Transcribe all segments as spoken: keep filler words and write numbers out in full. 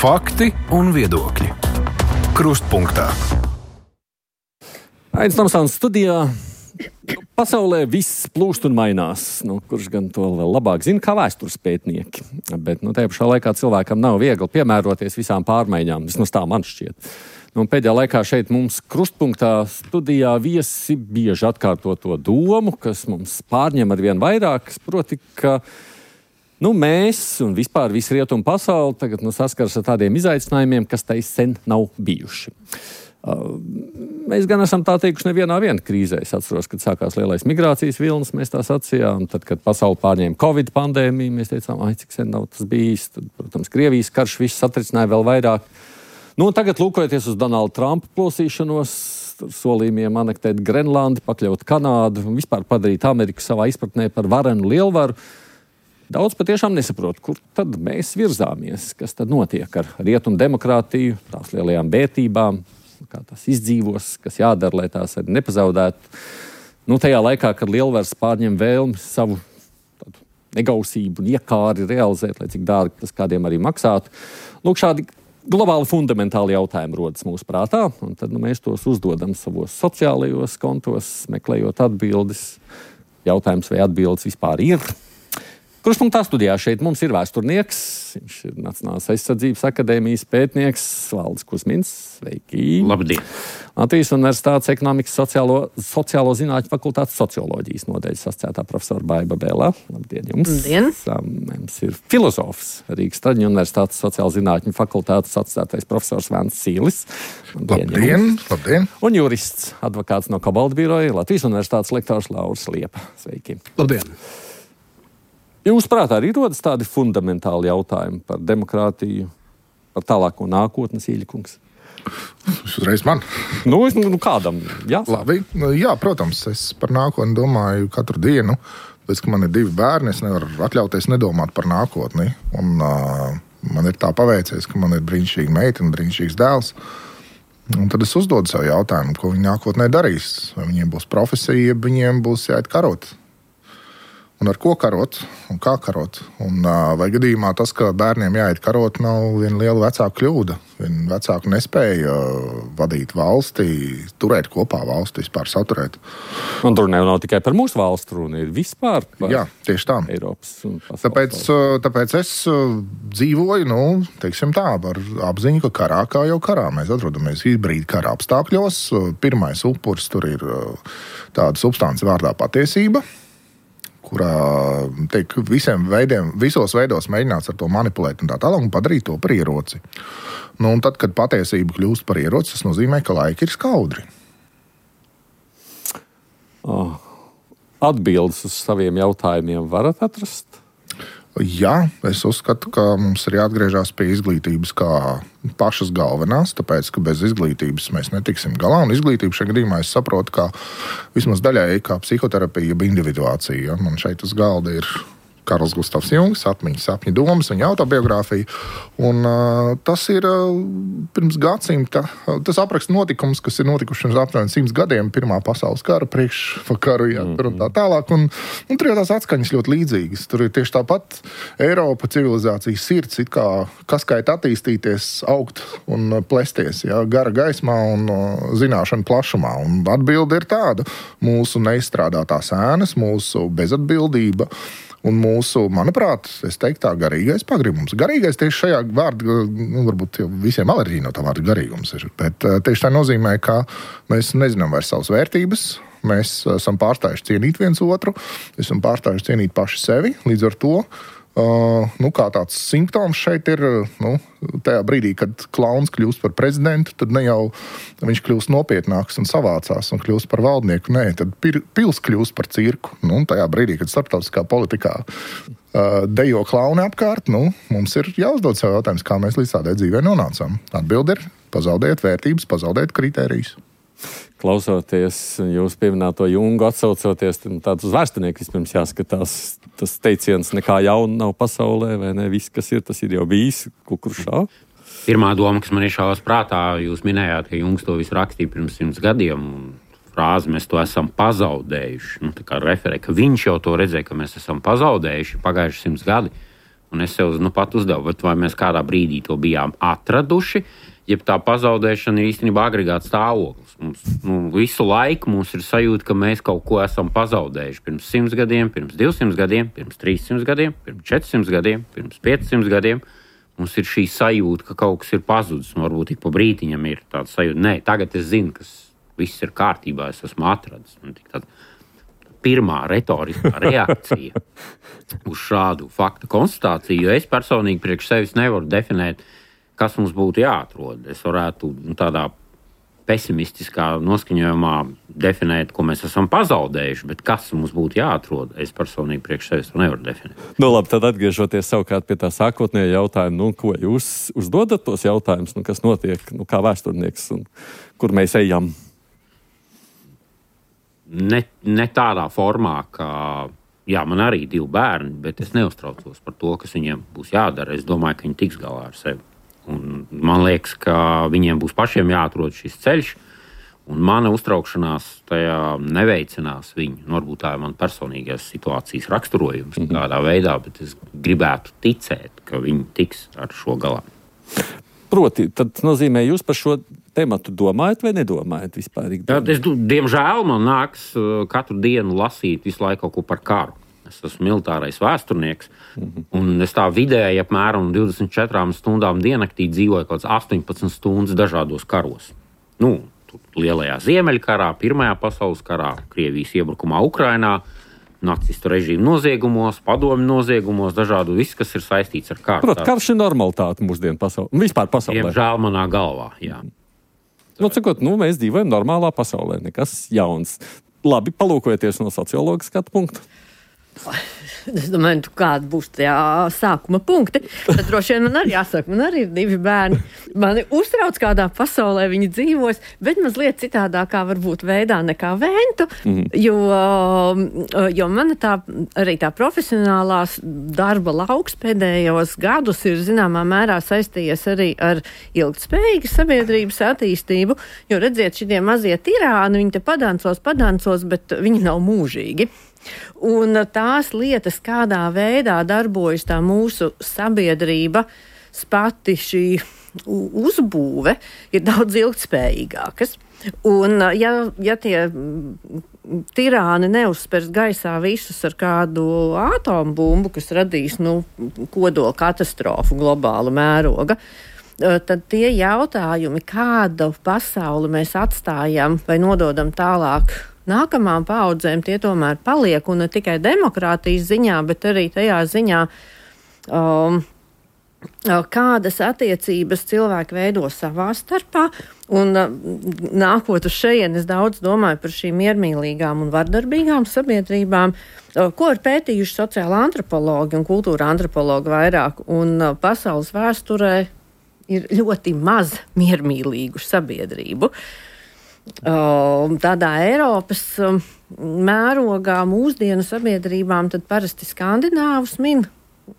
Fakti un viedokļi. Krustpunktā. Aidis Tomsons studijā. Pasaulē viss plūst un mainās. Nu, kurš gan to vēl labāk zina, kā vēstures pētnieki. Bet nu, tajā pašā laikā cilvēkam nav viegli piemēroties visām pārmaiņām. Vismaz tā man šķiet. Nu, pēdējā laikā šeit mums Krustpunktā studijā viesi bieži atkārto to domu, kas mums pārņem ar vien vairāk, proti, ka nu, mēs un vispār visi rietumu pasauli tagad nu, saskaras ar tādiem izaicinājumiem, kas tai sen nav bijuši. Uh, mēs gan esam tā teikuši nevienā viena krīzē. Es atceros, kad sākās lielais migrācijas vilnis, mēs tā sacījām. Tad, kad pasauli pārņēma Covid pandēmiju, mēs teicām, ai, cik sen nav tas bijis. Tad, protams, Krievijas karš viss satricināja vēl vairāk. Nu, tagad, lūkojoties uz Donalda Trumpa plosīšanos, solījumiem anektēt Grenlandi, pakļaut Kanādu un vispār padarīt Ameriku savā izpratnē par varenu lielvaru, daudz patiešām nesaprot, kur tad mēs virzāmies, kas tad notiek ar rietumu demokrātiju, tās lielajām vērtībām, kā tās izdzīvos, kas jādara, lai tās arī nepazaudētu. Nu, tajā laikā, kad lielvaras pārņem vēlmi savu tādu negausību un iekāri realizēt, lai cik dārgi tas kādiem arī maksātu. Lūk, šādi globāli fundamentāli jautājumi rodas mūsu prātā, un tad nu, mēs tos uzdodam savos sociālajos kontos, meklējot atbildes. Jautājums, vai atbildes vispār ir. Krustpunktā studijā šeit mums ir vēsturnieks, viņš ir Nacionālās aizsardzības akadēmijas pētnieks Valdis Kusmins. Sveiki! Labdien! Latvijas Universitātes ekonomikas sociālo, sociālo zinātņu fakultātes socioloģijas nodaļas asociētā profesora Baiba Bēlā. Labdien jums! Labdien! Mums ir filozofs Rīgas Traģiņu Universitātes sociālo zinātņu fakultātes asociētais profesors Vēns Sīlis. Labdien! Labdien! Labdien! Un jurists, advokāts no Kobalta biroja, Latvijas Universitātes lektors Lauris Liepa. Sveiki! Labdien! Jūs prātā arī rodas tādi fundamentāli jautājumi par demokrātiju, par tālāko nākotnes, Īļkungs? Uzreiz man. Nu, nu kādam, jā? Labi, jā, protams, es par nākotni domāju katru dienu. Pēc, ka man ir divi bērni, es nevaru atļauties nedomāt par nākotni. Un uh, man ir tā paveicies, ka man ir brīnišķīga meita un brīnišķīgs dēls. Un tad es uzdodu sev jautājumu, ko viņi nākotnē darīs. Vai viņiem būs profesija, ja viņiem būs jāiet karot. Un ar ko karot, un kā karot. Un, vai gadījumā tas, ka bērniem jāiet karot, nav viena liela vecāka kļūda. Viena vecāka nespēja vadīt valsti, turēt kopā valsti, vispār saturēt. Un tur nav tikai par mūsu valstu runa, ir vispār par Jā, tieši tā. Eiropas un pasaules. Tāpēc, tāpēc es dzīvoju, nu, teiksim tā, ar apziņu, ka karā kā jau karā. Mēs atrodamies hibrīda kara apstākļos. Pirmais upuris tur ir tāda substance vārdā patiesība, kurā tiek visiem veidiem, visos veidos mēģināts ar to manipulēt un tā tālāk un padarīt to par ieroci. Nu, un tad, kad patiesība kļūst par ieroci, tas nozīmē, ka laiki ir skaudri. Oh. Atbildes uz saviem jautājumiem varat atrast? Jā, es uzskatu, ka mums ir jāatgriežas pie izglītības kā pašas galvenās, tāpēc, ka bez izglītības mēs netiksim galā. Un izglītība šajā gadījumā es saprotu, ka vismaz daļēji kā psihoterapija, jeb individuācija. Ja? Man šeit uz galda ir Karls Gustavs Jungs, atmiņas, sapņu domas, viņa autobiogrāfija. Un uh, tas ir uh, pirms gadsimta, uh, tas apraksta notikums, kas ir notikuši pirms aptuveni simts gadiem, Pirmā pasaules kara, priekšvakaru, jā, tur un tā tālāk. Un, un tur jau tās atskaņas ļoti līdzīgas. Tur ir tieši tāpat Eiropa civilizācijas sirds, it kā kas kait attīstīties, augt un plesties, jā, gara gaismā un uh, zināšana plašumā. Un atbilde ir tāda: mūsu neizstrādātās ēnas, mūsu bezatbildība, un mūsu, manuprāt, es teiktu tā, garīgais pagribums. Garīgais tieši šajā vārdā, nu, varbūt visiem alerģija no tā vārda garīgums ir, bet tieši tā nozīmē, ka mēs nezinām vairs savas vērtības, mēs esam pārstājuši cienīt viens otru, esam pārstājuši cienīt paši sevi, līdz ar to, uh, nu, kā tāds simptoms šeit ir, nu, tajā brīdī, kad klauns kļūst par prezidentu, tad ne jau viņš kļūst nopietnāks un savācās un kļūst par valdnieku, nē, tad pils kļūst par cirku. Nu, tajā brīdī, kad starptautiskā politikā uh, dejo klauni apkārt, nu, mums ir jāuzdod sev jautājums, kā mēs līdz tādai dzīvē nonācām. Atbilde ir: pazaudēt vērtības, pazaudēt kritērijus. Klausoties jūs pieminēto Jungu, atsaucoties, tad uz vēsturnieku vispirms jāskatās. Tas teiciens nekā jauna nav pasaulē, vai ne? Viss, kas ir, tas ir jau bijis kukuršā. Pirmā doma, kas man iešāvās prātā, jūs minējāt, ka Jungs to visu rakstīja pirms simts gadiem. Frāzi mēs to esam pazaudējuši. Nu, tā kā referē, ka viņš jau to redzēja, ka mēs esam pazaudējuši pagājuši simts gadi. Un es sev nu pat uzdevu, vai mēs kādā brīdī to bijām atraduši, jeb tā pazaudēšana ir īstenībā agregāts stāvoklis. Mums, nu, visu laiku mums ir sajūta, ka mēs kaut ko esam pazaudējuši. Pirms simts gadiem, pirms divsimt gadiem, pirms trīssimt gadiem, pirms četrsimt gadiem, pirms piecsimt gadiem. Mums ir šī sajūta, ka kaut kas ir pazudis, un varbūt tik pa brītiņam ir tāda sajūta. Nē, tagad es zinu, ka viss ir kārtībā, es esmu atradis. Un tik tāda pirmā retoriskā reakcija uz šādu faktu konstatāciju, jo es personīgi priekš sevis nevaru definēt, kas mums būtu jāatrod. Es varētu nu, tādā pesimistiskā noskaņojumā definēt, ko mēs esam pazaudējuši, bet kas mums būtu jāatrod, es personīgi priekš sevis to nevaru definēt. Nu labi, tad atgriežoties savukārt pie tā sākotnējā jautājuma, nu, ko jūs uzdodat tos jautājumus, nu, kas notiek, nu, kā vēsturnieks un kur mēs ejam? Ne, ne tādā formā, ka, jā, man arī divi bērni, bet es neuztraucos par to, kas viņiem būs jādara. Es domāju, ka viņi tiks galā ar sevi. Un man liekas, ka viņiem būs pašiem jāatrod šis ceļš, un mana uztraukšanās tajā neveicinās viņu. Nu, varbūt tā ir man personīgās situācijas raksturojums mm-hmm. kādā veidā, bet es gribētu ticēt, ka viņi tiks ar šo galā. Proti, tad nozīmē, jūs par šo tematu domājat vai nedomājat vispār? Jā, es, diemžēl man nāks katru dienu lasīt visu laiku kaut ko par karu. Es esmu militārais vēsturnieks, mm-hmm. un es tā vidēji apmēram divdesmit četrām stundām diennaktī dzīvoju kaut kāds astoņpadsmit stundas dažādos karos. Nu, lielajā Ziemeļkarā, Pirmajā pasaules karā, Krievijas iebrukumā Ukrainā, nacistu režīmu noziegumos, padomju noziegumos, dažādu viss, kas ir saistīts ar karu. Protams, karš ir normalitāte mūsdienu pasaulē, vispār pasaulē. Diemžēl manā galvā, jā. Nu, cikot, nu, mēs dzīvojam normālā pasaulē, nekas jauns. Labi, palūkojieties no sociologa skatu punktu. Es domāju, kāda būs tajā sākuma punkti. Tad droši vien man arī jāsaka, man arī ir divi bērni. Mani uztrauc, kādā pasaulē viņi dzīvos, bet mazliet citādākā varbūt veidā nekā Ventu, mm-hmm. jo, jo mana tā, arī tā profesionālās darba lauks pēdējos gadus ir zināmā mērā saistījies arī ar ilgtspējīgas sabiedrības attīstību, jo redziet, šitie mazie tirāni, viņi te padancos, padancos, bet viņi nav mūžīgi. Un tās lietas, kādā veidā darbojas tā mūsu sabiedrība, pati šī uzbūve, ir daudz ilgtspējīgākas. Un ja, ja tie tirāni neuzspers gaisā visus ar kādu atombumbu, kas radīs nu, kodola katastrofu globāla mēroga, tad tie jautājumi, kādu pasauli mēs atstājam vai nododam tālāk nākamām paudzēm, tie tomēr paliek, un ne tikai demokrātijas ziņā, bet arī tajā ziņā, um, kādas attiecības cilvēki veido savā starpā, un uh, nākot uz šeien, es daudz domāju par šīm miermīlīgām un vardarbīgām sabiedrībām, uh, ko ir pētījuši sociāla antropologi un kultūra antropologi vairāk, un uh, pasaules vēsturē ir ļoti maz miermīlīgu sabiedrību. Tādā Eiropas mērogā mūsdienu sabiedrībām tad parasti skandināvus min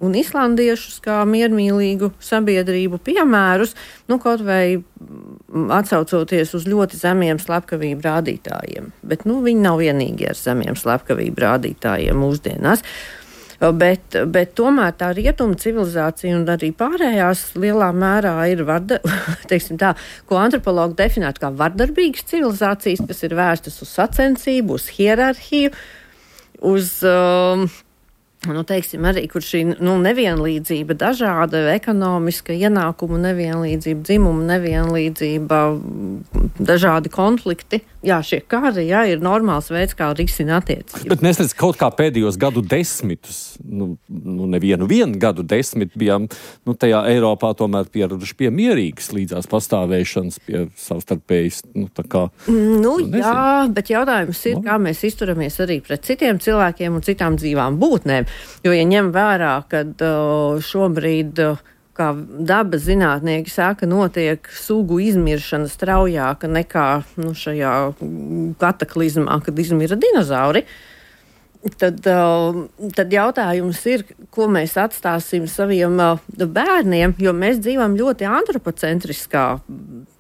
un islandiešus kā miermīlīgu sabiedrību piemērus, nu kaut vai atsaucoties uz ļoti zemiem slepkavību rādītājiem. Bet nu, viņi nav vienīgi ar zemiem slepkavību rādītājiem mūsdienās. Bet, bet tomēr tā rietuma civilizācija un arī pārējās lielā mērā ir varda, teiksim tā, ko antropologi definētu kā vardarbīgas civilizācijas, kas ir vērstas uz sacensību, uz hierarhiju, uz, um, nu, teiksim, arī, kur šī nu, nevienlīdzība dažāda, ekonomiska ienākumu nevienlīdzība, dzimumu nevienlīdzība, dažādi konflikti. Jā, šie kari, jā, ir normāls veids, kā risina attiecības. Bet mēs redz, kaut kā pēdējos gadu desmitus, nu, nu nevienu vienu gadu desmit bijām, nu, tajā Eiropā tomēr pieraduši pie mierīgas līdzās pastāvēšanas, pie savstarpējas, nu, tā kā... Nu, nu jā, bet jautājums ir, no. kā mēs izturamies arī pret citiem cilvēkiem un citām dzīvām būtnēm. Jo, ja ņem vērā, kad uh, šobrīd... Uh, kā dabas zinātnieki saka, notiek sugu izmiršana straujāka nekā nu, šajā kataklizmā, kad izmira dinozauri, tad, uh, tad jautājums ir, ko mēs atstāsim saviem uh, bērniem, jo mēs dzīvojam ļoti antropocentriskā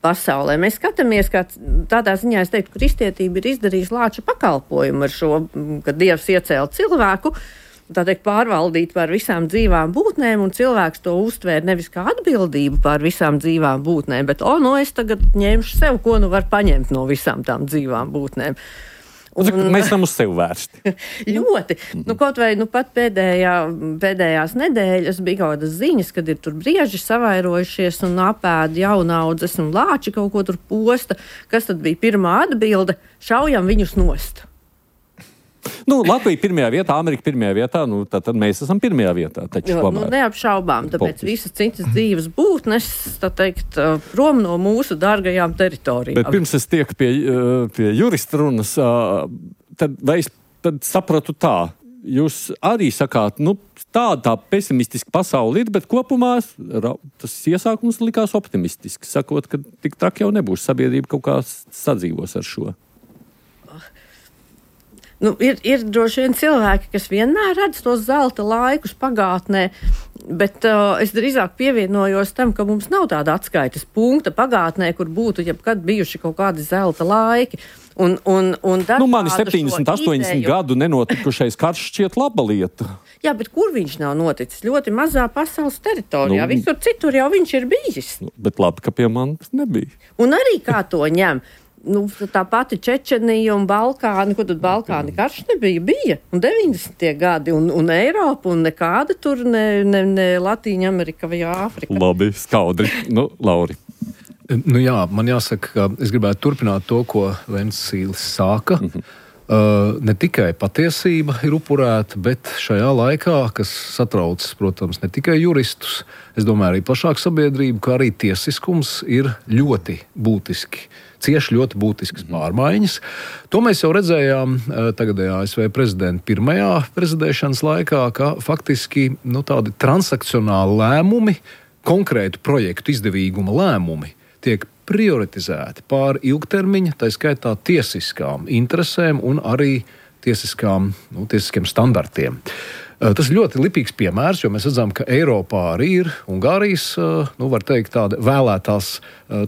pasaulē. Mēs skatāmies, kā tādā ziņā, es teiktu, kristietība ir izdarījusi lāča pakalpojumu ar šo, kad Dievs iecēla cilvēku, tā teikt, pārvaldīt par visām dzīvām būtnēm, un cilvēks to uztvēr nevis kā atbildību par visām dzīvām būtnēm, bet, o, nu, es tagad ņemšu sev, ko nu var paņemt no visām tām dzīvām būtnēm. Un, mēs esam uz sevi vērsti. Ļoti. Nu, kaut vai nu, pat pēdējā, pēdējās nedēļas bija kaut kādas ziņas, kad ir tur brieži savairojušies un apēd jaunaudzes un lāči kaut ko tur posta. Kas tad bija pirmā atbilde? Šaujam viņus nost. Nu, Latvija pirmajā vietā, Amerika pirmajā vietā, nu, tad, tad mēs esam pirmajā vietā. Taču, jo, nu, neapšaubām, tāpēc politiski. Visas citas dzīves būtnes, tā teikt, prom no mūsu dārgajām teritorijām. Bet pirms es tieku pie, pie jurista runas, tad, vai es tad sapratu tā, jūs arī sakāt, nu, tāda tā pesimistiska pasaule ir, bet kopumā tas iesākums likās optimistiski, sakot, ka tik traki jau nebūs, sabiedrība kaut kā sadzīvos ar šo. Nu, ir, ir droši vien cilvēki, kas vienmēr redz tos zelta laikus pagātnē, bet uh, es drīzāk pievienojos tam, ka mums nav tāda atskaites punkta pagātnē, kur būtu jebkad bijuši kaut kādi zelta laiki. Un, un, un nu, mani septiņdesmit, astoņdesmit gadu nenotikušais karš šķiet laba lieta. Jā, bet kur viņš nav noticis? Ļoti mazā pasaules teritorijā. Nu, visur citur jau viņš ir bijis. Nu, bet labi, ka pie manis nebija. Un arī kā to ņem? Nu, tā pati Čečenija un Balkāni, ko tad Balkāni karš nebija, bija, un deviņdesmitie gadi, un, un Eiropa, un nekāda tur ne, ne, ne Latīņa Amerika vai Āfrika. Labi, skaudri. Nu, Lauri. Nu jā, man jāsaka, ka es gribētu turpināt to, ko Vencīlis sāka. Mm-hmm. Uh, ne tikai patiesība ir upurēta, bet šajā laikā, kas satrauc, protams, ne tikai juristus, es domāju arī plašāku sabiedrību, kā arī tiesiskums ir ļoti būtiski, cieši ļoti būtiskas pārmaiņas. To mēs jau redzējām uh, tagadējā A S V prezidenta pirmajā prezidēšanas laikā, ka faktiski nu, tādi transakcionāli lēmumi, konkrētu projektu izdevīguma lēmumi tiek prioritizēti pār ilgtermiņa, tā skaitā tiesiskām interesēm un arī tiesiskām, nu, tiesiskiem standartiem. Tas ir ļoti lipīgs piemērs, jo mēs redzam, ka Eiropā arī ir Ungārijas, nu, var teikt, tāda vēlētās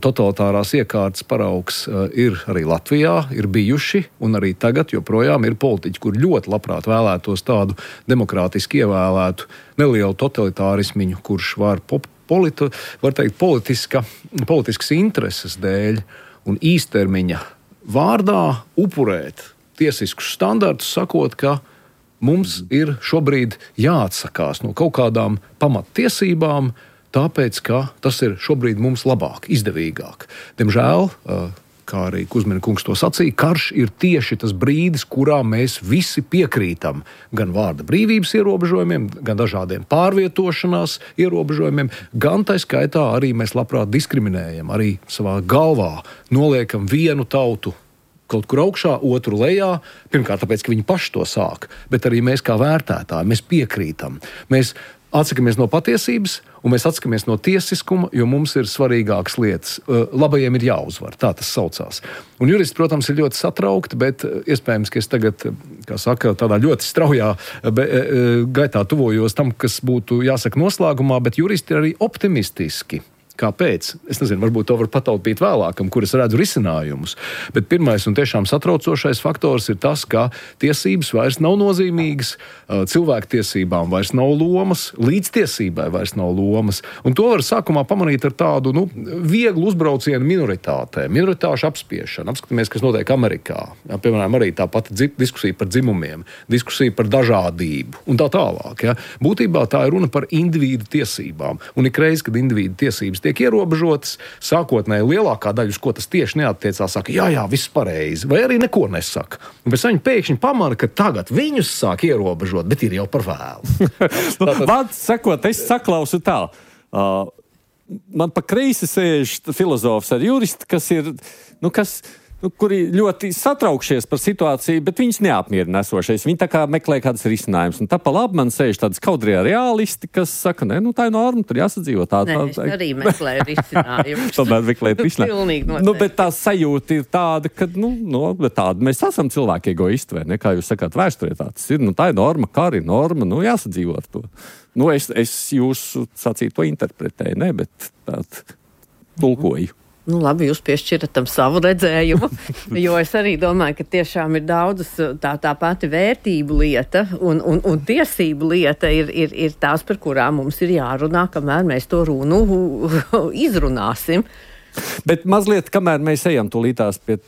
totalitārās iekārtas paraugs ir arī Latvijā, ir bijuši, un arī tagad joprojām ir politiķi, kur ļoti labprāt vēlētos tādu demokrātiski ievēlētu nelielu totalitārismiņu, kurš var pop Politi, var teikt, politiska, politiskas intereses dēļ un īstermiņa vārdā upurēt tiesiskus standartus, sakot, ka mums ir šobrīd jāatsakās no kaut kādām pamattiesībām, tāpēc, ka tas ir šobrīd mums labāk, izdevīgāk. Diemžēl, kā arī Kuzmina kungs to sacīja, karš ir tieši tas brīdis, kurā mēs visi piekrītam gan vārda brīvības ierobežojumiem, gan dažādiem pārvietošanās ierobežojumiem, gan tā skaitā arī mēs labprāt diskriminējam, arī savā galvā noliekam vienu tautu kaut kur augšā, otru lejā, pirmkārt tāpēc, ka viņi paši to sāk, bet arī mēs kā vērtētāji, mēs piekrītam. Mēs atsakamies no patiesības, un mēs atsakamies no tiesiskuma, jo mums ir svarīgākas lietas. Labajiem ir jāuzvar, tā tas saucās. Un juristi, protams, ir ļoti satraukti, bet iespējams, ka es tagad, kā saka, tādā ļoti straujā gaitā tuvojos tam, kas būtu jāsaka noslēgumā, bet juristi ir arī optimistiski. Kāpēc? Es nezinu, varbūt to var pataupīt vēlākam, kur es redzu risinājumus. Bet pirmais un tiešām satraucošais faktors ir tas, ka tiesības vairs nav nozīmīgas, cilvēktiesībām vairs nav lomas, līdztiesībai vairs nav lomas. Un to var sākumā pamanīt ar tādu nu, vieglu uzbraucienu minoritātēm, minoritāšu apspiešanu. Apskatāmies, kas notiek Amerikā. Jā, piemēram, arī tā pati dzi- diskusija par dzimumiem, diskusija par dažādību un tā tālāk. Jā. Būtībā tā ir runa par individu tiesībām. Un ikreiz, kad individu tiesības tiek ierobežotas, sākotnēji lielākā daļa, uz ko tas tieši neattiecās, saka, jā, jā, viss pareizi, vai arī neko nesaka. Un pēc tam viņi pēkšņi pamana, ka tagad viņus sāk ierobežot, bet ir jau par vēlu. Tātad... Vārds sakot, es saklausu tā. Uh, man pa kreisi sēž filozofs ar juristu, kas ir, nu, kas... Nu, kuri ļoti satraukšies par situāciju, bet viņus neapmierina esošais. Viņi tā kā meklē kādas risinājumus. Un tā pa labi man sēž tādas kaudrie reālisti, kas saka, nē, nu tā ir norma, tur jāsadzīvo tā. Nē, es arī meklēju risinājumus. Tomēr meklēt risinājumus. Pilnīgi noteikti. Nu, bet tā sajūta ir tāda, ka, nu, no, bet tāda mēs esam cilvēki egoisti, vai ne? Kā jūs sakāt, vēsturē tāds ir, nu tā ir norma, kā arī norma, nu jāsadzīvo ar to. Nu, es, es jūsu sacīto interpretēju, ne, bet tād tulkoju. Nu, labi, jūs piešķirat tam savu redzējumu, jo es arī domāju, ka tiešām ir daudzas tā, tā pati vērtību lieta un, un, un tiesību lieta ir, ir, ir tās, par kurām mums ir jārunā, kamēr mēs to runu izrunāsim. Bet mazliet, kamēr mēs ejam tūlītās pie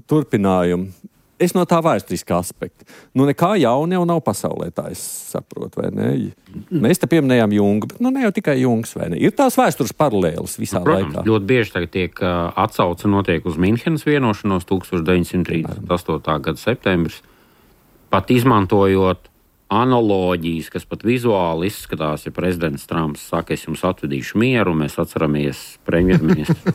turpinājumu, es no tā vēsturiskā aspekta. Nu, nekā jauna jau nav pasaulē, tā es saprotu, vai ne? Mēs te pieminējām Jungu, bet nu ne jau tikai Jungs, vai ne? Ir tās vēstures paralēlas visā nu, protams, laikā. Ļoti bieži tagad tiek uh, atsauce notiek uz Minhenes vienošanos tuksneša deviņsimt trīsdesmit astotā gada septembris, pat izmantojot analoģijas, kas pat vizuāli izskatās, ja prezidents Trumps saka, es jums atvedīšu mieru, mēs atceramies premjerministru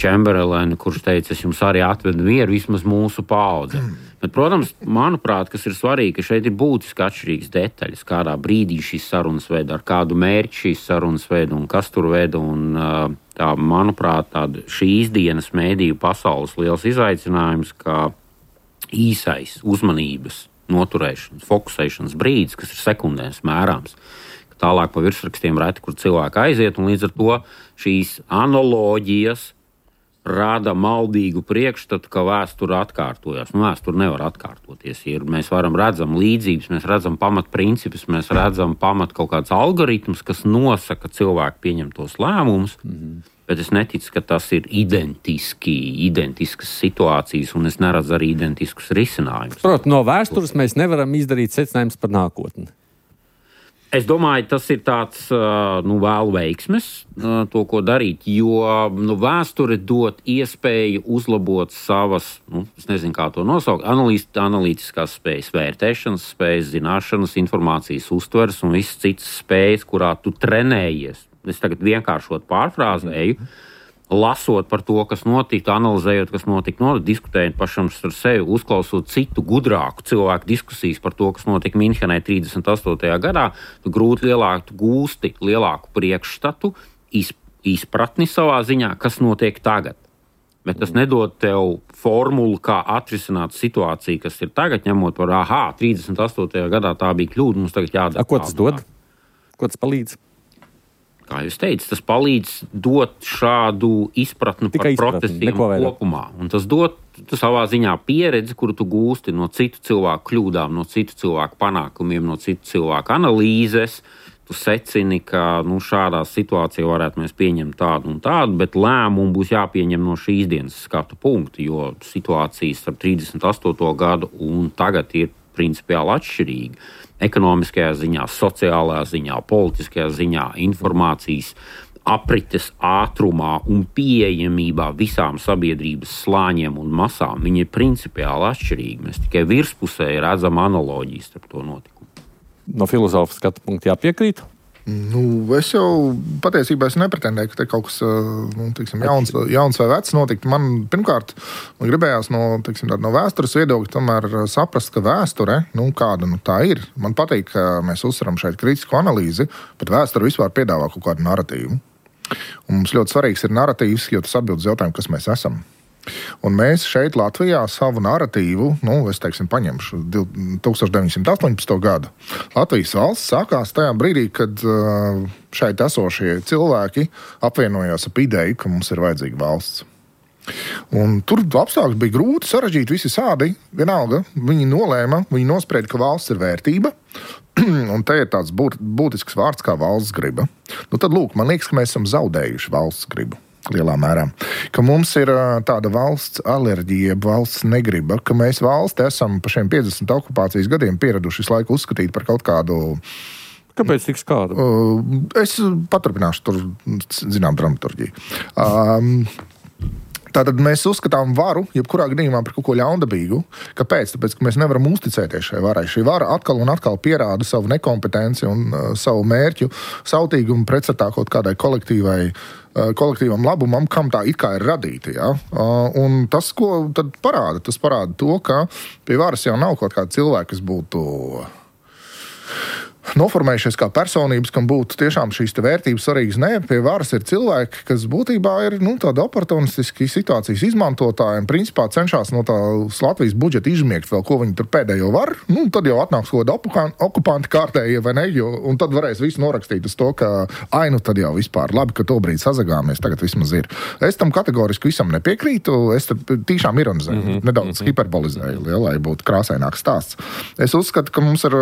Čemberlenu, kurš teica, es jums arī atvedu mieru, vismaz mūsu paudze. Bet, protams, manuprāt, kas ir svarīgi, ka šeit ir būtiski atšķirīgas detaļas, kādā brīdī šīs sarunas veda, ar kādu mērķi šīs sarunas veda un kas tur veda. Un, tā, manuprāt, tāda šīs dienas mēdīju pasaules liels izaicinājums, kā īsais uzmanības noturēšanas, fokusēšanas brīdis, kas ir sekundēs mērāms. Tālāk pa virsrakstiem reti, kur cilvēki aiziet, un līdz ar to šīs analoģijas rada maldīgu priekšstatu, ka vēsture atkārtojas. Nu, vēsture nevar atkārtoties. Ir, mēs varam redzam līdzības, mēs redzam pamatprincipus, mēs redzam pamat kaut kāds algoritmus, kas nosaka cilvēku pieņemtos lēmumus, mm-hmm. bet es neticu, ka tas ir identiski, identiskas situācijas, un es neredzu arī identiskus risinājumus. Protams, no vēstures mēs nevaram izdarīt secinājumus par nākotni. Es domāju, tas ir tāds nu, vēl veiksmes, to, ko darīt, jo nu, vēsture dod iespēju uzlabot savas, nu, es nezinu, kā to nosaukt, analītiskās spējas, vērtēšanas spējas, zināšanas, informācijas uztveres un visas citas spējas, kurā tu trenējies. Es tagad vienkāršot pārfrāzēju, lasot par to, kas notika, analizējot, kas notika, no, diskutējot pašam ar sevi, uzklausot citu gudrāku cilvēku diskusijas par to, kas notika Minhenē trīsdesmit astotajā gadā, tu grūti lielāku, tu gūsti lielāku priekšstatu, iz, izpratni savā ziņā, kas notiek tagad. Bet tas nedod tev formulu, kā atrisināt situāciju, kas ir tagad, ņemot par, aha, trīsdesmit astotajā gadā tā bija kļūda, mums tagad jādara. A, ko tas dod? Ko tas palīdz? Kā jūs teicat, tas palīdz dot šādu izpratni Tikai par procesiem kopumā. Un tas dod savā ziņā pieredzi, kuru tu gūsti no citu cilvēku kļūdām, no citu cilvēku panākumiem, no citu cilvēku analīzes. Tu secini, ka nu, šādā situācijā varētu mēs pieņemt tādu un tādu, bet lēmumu būs jāpieņem no šīs dienas skatu punktu, jo situācijas starp trīsdesmit astoto gadu un tagad ir principiāli atšķirīga. Ekonomiskajā ziņā, sociālajā ziņā, politiskajā ziņā, informācijas aprites ātrumā un pieejamībā visām sabiedrības slāņiem un masām, viņi ir principiāli atšķirīgi. Mēs tikai virspusē redzam analoģijas starp to notikumu. No filozofa skatu punkta jāpiekrīt? Nu, es jau patiesībā es nepretendēju, ka te kaut kas nu, teiksim, jauns, jauns vai vecs notikt. Man pirmkārt man gribējās no, teiksim, no vēstures viedokļa tomēr saprast, ka vēsture, nu, kāda nu, tā ir. Man patīk, ka mēs uzsveram šeit kritisku analīzi, bet vēsture vispār piedāvā kaut kādu narratīvu. Un mums ļoti svarīgs ir narratīvs, jo tas atbild uz jautājumu, kas mēs esam. Un mēs šeit Latvijā savu narratīvu, nu, es teiksim, paņemšu tūkstoš deviņsimt astoņpadsmito gadu. Latvijas valsts sākās tajā brīdī, kad šeit esošie cilvēki apvienojās ap ideju, ka mums ir vajadzīga valsts. Un tur apstākļi bija grūti, sarežģīti, visi sādi, vienalga. Viņi nolēma, viņi nosprieda, ka valsts ir vērtība, un te ir tāds būt, būtisks vārds kā valsts griba. Nu tad, lūk, man liekas, ka mēs esam zaudējuši valsts gribu. Lielā mērā. Ka mums ir tāda valsts alerģija, valsts negriba, ka mēs valsti esam pa šiem piecdesmit okupācijas gadiem pieraduši visu laiku uzskatīt par kaut kādu. Kāpēc tik skādu? Uh, es paturpināšu tur, zinām, dramaturģiju. Um, Tātad mēs uzskatām varu, jebkurā gadījumā par kaut ko ļaundabīgu. Kāpēc? Tāpēc, ka mēs nevaram uzticēties šai varai. Šī vara atkal un atkal pierāda savu nekompetenci un uh, savu mērķu, sautīgumu pretstatā kaut kādai kolektīvai, uh, kolektīvam labumam, kam tā it kā ir radīta. Ja? Uh, un tas, ko tad parāda? Tas parāda to, ka pie varas jau nav kaut kāda cilvēka, kas būtu noformējušies kā personības, kam būtu tiešām šīs te vērtības svarīgas. Nē, pie varas ir cilvēki, kas būtībā ir nu, tādi oportunistiski situācijas izmantotāji un principā cenšas no tā Latvijas budžeta izmiegt vēl, ko viņi tur pēdējo var. Nu, tad jau atnāks kaut kāda okupanti kārtējie vai ne, jo, un tad varēs visu norakstīt uz to, ka ai, nu tad jau vispār labi, ka to brīdi sazagāmies, tagad vismaz ir. Es tam kategoriski visam nepiekrītu, es tad tiešām ironizēju, mm-hmm. nedaudz mm-hmm. hiperbolizēju, ja, lai būtu krāsaināks stāsts. Es uzskatu, ka mums ir,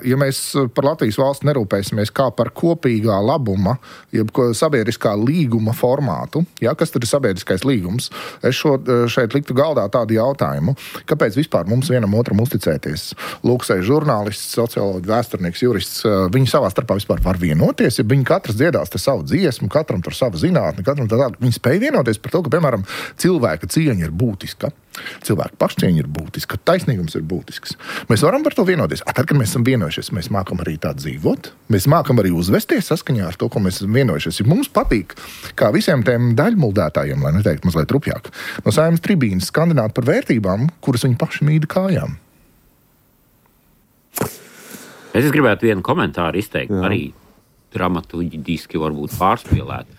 ja mēs par Latvijas valsts nerūpēsimies kā par kopīgā labuma, jeb sabiedriskā līguma formātu, ja, kas tad ir sabiedriskais līgums, es šo, šeit liktu galdā tādu jautājumu, kāpēc vispār mums vienam otram uzticēties. Lūksēji žurnālists, socioloģi, vēsturnieks, jurists, viņi savā starpā vispār var vienoties, ja viņi katrs dziedās te savu dziesmu, katram tur savu zinātni, katram tā tādu. Viņi spēj vienoties par to, ka, piemēram, cilvēka cieņa ir būtiska. Cilvēka pašcieņa ir būtiska, taisnīgums ir būtisks. Mēs varam par to vienoties. A, tad, kad mēs esam vienojušies, mēs mākam arī tā dzīvot, mēs mākam arī uzvesties saskaņā ar to, ko mēs esam vienojušies. Ja mums patīk, kā visiem tiem daļmuldētājiem, lai neteikt mazliet rupjāk, no Saeimas tribīnes skandināt par vērtībām, kuras viņi paši mīda kājām. Es gribētu vienu komentāru izteikt, Jā. Arī dramaturgiski varbūt pārspīlēt.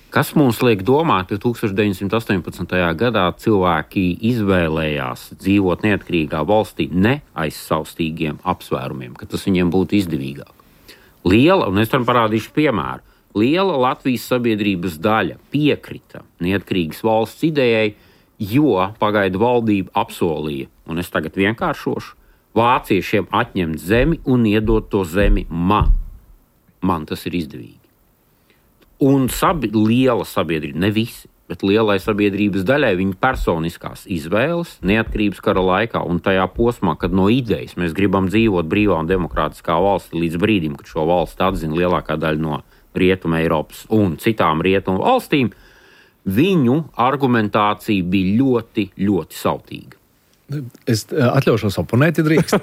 Kas mums liek domāt, ka tūkstoš deviņsimt astoņpadsmitajā gadā cilvēki izvēlējās dzīvot neatkarīgā valstī ne aiz savstīgiem apsvērumiem, ka tas viņiem būtu izdevīgāk. Liela, un es tam parādīšu piemēru, liela Latvijas sabiedrības daļa piekrita neatkarīgas valsts idejai, jo pagaidu valdība apsolīja, un es tagad vienkāršošu, vāciešiem atņemt zemi un iedot to zemi man. Man tas ir izdevīgi. Un sabi, liela sabiedrība, ne visi, bet lielai sabiedrības daļai viņa personiskās izvēles neatkarības kara laikā un tajā posmā, kad no idejas mēs gribam dzīvot brīvā un demokrātiskā valstī līdz brīdim, kad šo valsti atzina lielākā daļa no Rietuma Eiropas un citām Rietumu valstīm, viņu argumentācija bija ļoti, ļoti sautīga. Es atļaušos oponēt, ja drīkst.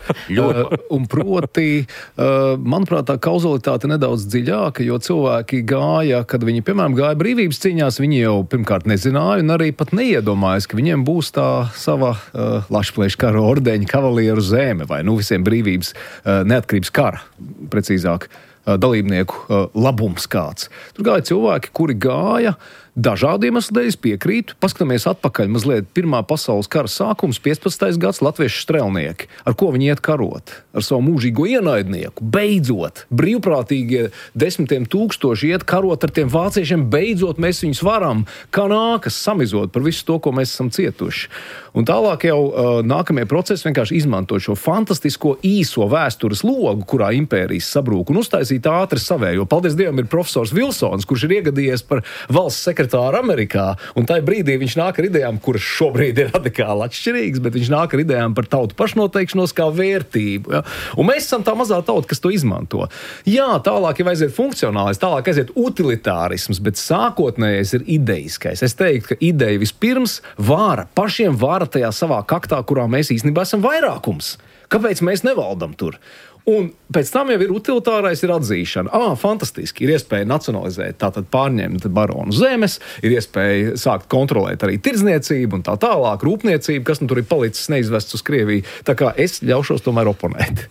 uh, un proti, uh, manuprāt, tā kauzalitāte nedaudz dziļāka, jo cilvēki gāja, kad viņi, piemēram, gāja brīvības cīņās, viņi jau pirmkārt nezināja un arī pat neiedomājas, ka viņiem būs tā sava uh, lašplēša kara ordeņa kavalieru zeme vai nu visiem brīvības uh, neatkarības kara, precīzāk, uh, dalībnieku uh, labums kāds. Tur gāja cilvēki, kuri gāja dažādu iemeslu dēļ, piekrītu. Paskatāmies atpakaļ mazliet Pirmā pasaules kara sākums, piecpadsmitais gads, latviešu strelnieki. Ar ko viņi iet karot? Ar savu mūžīgo ienaidnieku. Beidzot, brīvprātīgie desmitiem tūkstoši iet karot ar tiem vāciešiem. Beidzot, mēs viņus varam, kā nākas, samizot par visu to, ko mēs esam cietuši. Un tālāk jau uh, nākamie procesi vienkārši izmanto šo fantastisko īso vēstures logu, kurā impērijas sabrūk un uztaisīt ātri savējo. Paldies Dievam, ir profesors Vilsons, kurš ir iegadījies par valsts sekretāru Amerikā, un tajā brīdī viņš nāk ar idejām, kuras šobrīd ir radikāli atšķirīgas, bet viņš nāk ar idejām par tautu pašnoteikšanos kā vērtību. Ja? Un mēs esam tā mazā tauta, kas to izmanto. Jā, tālāk jau aiziet funkcionālais, tālāk aiziet utilitārisms, bet sākotnējais ir ideiskais. Es teiktu, ka ideja vispirms vāra, pašiem vāra tajā savā kaktā, kurā mēs īstenībā esam vairākums. Kāpēc mēs nevaldam tur? Un pēc tam jau ir utilitārais, ir atzīšana. Ā, fantastiski, ir iespēja nacionalizēt, tātad pārņemt baronu zemes, ir iespēja sākt kontrolēt arī tirdzniecību un tā tālāk, rūpniecību, kas nu tur ir palicis neizvests uz Krieviju. Tā kā es ļaušos tomēr oponēt.